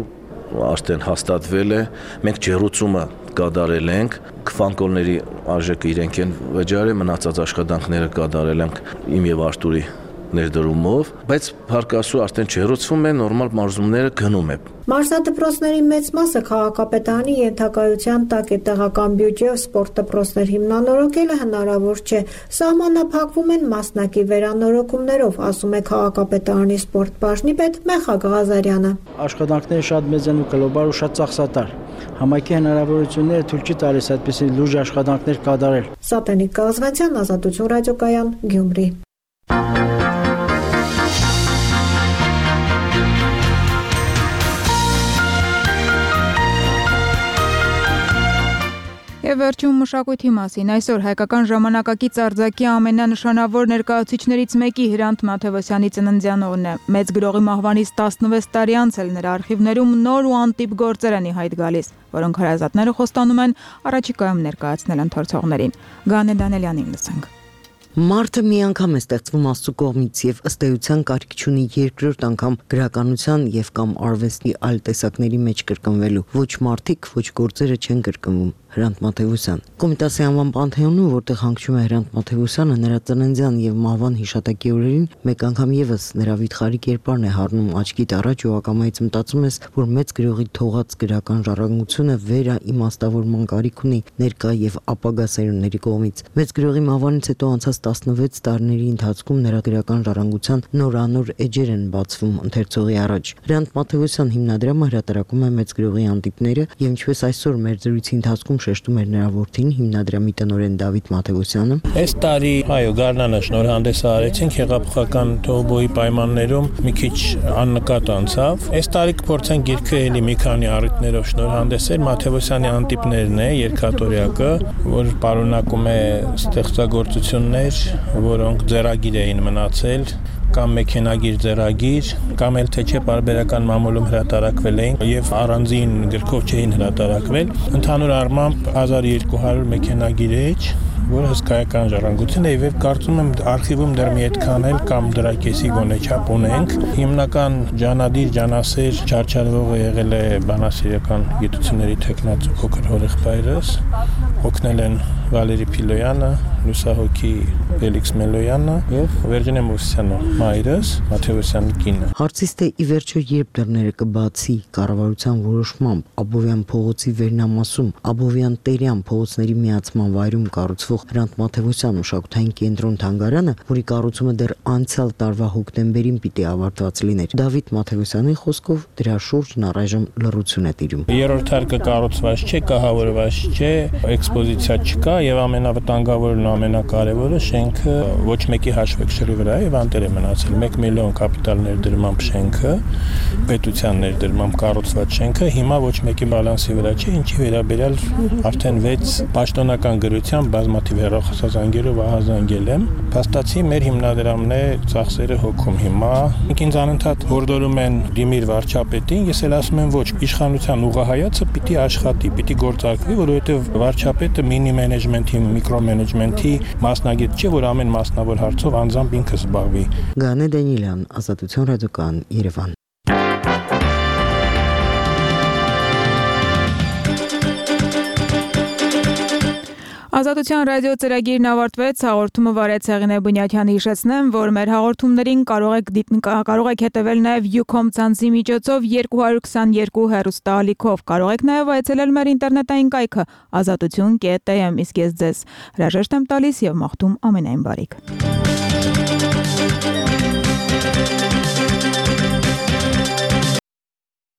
արդեն հաստատվել է, մենք ջերուցումը կատարել ենք, ֆանկոլների արժեքը իրենք են վճարել, մնացած աշխատանքները կատարել ենք իմ եւ Արտուրի ներդրումով, բայց հարկասու արդեն չերոցվում է, նորմալ մարզումները գնում է։ Մարզադպրոցների մեծ մասը քաղաքապետարանի ենթակայության տակ է, տեղական բյուջեով սպորտ դպրոցներ հիմնանորոգելը հնարավոր չէ։ Սահմանափակվում են մասնակի վերանորոգումներով, ասում է քաղաքապետարանի սպորտ բաժնի պետ Մեխակ Ղազարյանը։ Աշխատանքները շատ մեծ են ու գլոբալ ու շատ ծախսատար։ Համայնքի հնարավորությունները թույլ չի տալիս այդպիսի լուրջ աշխատանքներ կատարել։ Սաթենիկ Կաղզվանցյան, Ազատություն ռադիոկայան, Գյումրի։ Եվ վերջում մշակույթի մասին, այսօր հայկական ժամանակակից արձակի ամենանշանավոր ներկայացուցիչներից մեկի Հրանտ Մաթևոսյանի ծննդյան օրն է։ Մեծ գրողի մահվանից տասնվեց տարի անց էլ նրա արխիվներում նոր ու անտիպ գործեր են ի հայտ գալիս, որոնք հարազատները խոստանում են առաջիկայում ներկայացնել ընթերցողներին։ Գանե Դանելյանին լսենք։ Մարդը մի անգամ է ստեղծվում Աստծո կողմից եւ ըստ էության կարիք չունի երկրորդ անգամ գրականության եւ կամ արվեստի այլ տեսակների մեջ կրկնվելու։ Ոչ մարդիկ, ոչ գործերը չեն կրկնվում։ Հրանտ Մաթևոսյան Կոմիտասի անվան Պանթեոնում, որտեղ հանգչում է Հրանտ Մաթևոսյանը, նրա ծննդյան եւ մահվան հիշատակի օրերին մեկ անգամ եւս նրա վիթխարի կերպարն է հառնում աչքիդ առաջ ու ակամայից մտածում ես, որ մեծ գրողի թողած գրական ժառանգությունը վերա իմաստավորման կարիք ունի ներկա եւ ապագա սերունդների կողմից։ Մեծ գրողի մահվանից հետո անցած տասնվեց տարիների ընթացքում նրա գրական ժառանգության նորանոր էջեր են բացվում ընթերցողի առաջ։ Հրանտ Մաթևոսյան հիմնադրամը հրատարակում է մեծ գրողի անտիպները եւ ինչպես այսօր մեր զրույցի ընթացքում շեշտում էր նրա որդին, հիմնադրամի տնօրեն Դավիթ Մաթևոսյանը։ Այս տարի, այո, գարնանը շնորհանդես արեցինք հեղափոխական թողբոյի պայմաններում մի քիչ աննկատ անցավ։ Այս տարի կփորձենք գիրքը էլի մի քանի առիթներով շնորհանդեսել։ Մաթևոսյանի անտիպներն է, երկաթորյակը, որ պարունակում է ստեղծագործություններ, որոնք ձեռագիր էին մնացել, կամ մեքենագիր ձեռագիր, կամ էլ թե չէ բարբերական մամուլում հրատարակվել էին եւ առանձին գրքով չէին հրատարակվել։ Ընդհանուր առմամբ հազար երկու հարյուր մեքենագիր որը հսկայական ժառանգություն է եւ կարծում եմ արխիվում դեռ մի այդքան էլ կամ դրա կեսի գոնե չափ ունենք։ Հիմնական ջանադիր ջանասեր չարչարվողը եղել է բանասիրական գիտությունների տեխնացու փոքր հորեղբայրս, օգնել են Վալերի Փիլոյանը, լուսահոգի Ֆելիքս Մելոյանը եւ Վերջինե Մովսյանը, մայրս, Մաթեոսյանի կինը։ Հարցից թե ի վերջո երբ դռները կբացի կառավարության որոշմամբ Աբովյան փողոցի վերնամասում Աբովյան Տերյան փողոցների միացման վայրում կառուցվող Հրանտ Մաթեոսյան մշակութային կենտրոն թանգարանը, որի կառուցումը դեռ անցյալ տարվա հոկտեմբերին պիտի ավարտված լիներ, Դավիթ Մաթեոսյանի խոսքով դրա շուրջն առայժմ լռություն է տիրում։ Երրորդ հարկը կառուցված չէ, կահավորված չէ, էքսպոզիցիա չկա եւ ամենավտանգավորն ու ամենակարևորը շենքը ոչ մեկի հաշվեկշռի վրա է եւ անտեր է մնացել։ մեկ միլիոն կապիտալ ներդրմամբ շենքը, պետության ներդրմամբ կառուցված շենքը հիմա ոչ մեկի բալանսի վրա չէ, ինչի վերաբերյալ արդեն վեց պաշտոնական գրությամբ բազմաթիվ հեռախոսազանգերով ահազանգել եմ։ Փաստացի մեր հիմնադրամն է ծախսերը հոգում հիմա։ Ինքնին անընդհատ հորդորում են դիմիր վարչապետին, ես էլ ասում եմ ոչ, իշխանության ուղղահայացը պիտի աշխատի, պիտի գործարկվի, որովհետեւ վարչապետը մինի մենեջմենթի, միկրո մենեջմենթի մասնագետ չէ, որ ամեն մասնավոր հարցով անձամբ ինքը զբաղվի։ Գանե Դանիելյան, Ազատություն ռադիոկայան, Երևան։ Ազատության ռադիո ծրագիրն ավարտվեց, հաղորդումը վարեց Հեղինե Բունյաթյանը, հիշեցնեմ, որ մեր հաղորդումներին կարող եք կարող եք հետևել նաև Ucom ցանցի միջոցով երկու հարյուր քսաներկու հեռուստաալիքով, կարող եք նաև այցելել մեր ինտերնետային կայքը ազատություն կետ am, իսկ ես ձեզ հրաժեշտ եմ տալիս եւ մաղթում ամենայն բարիք։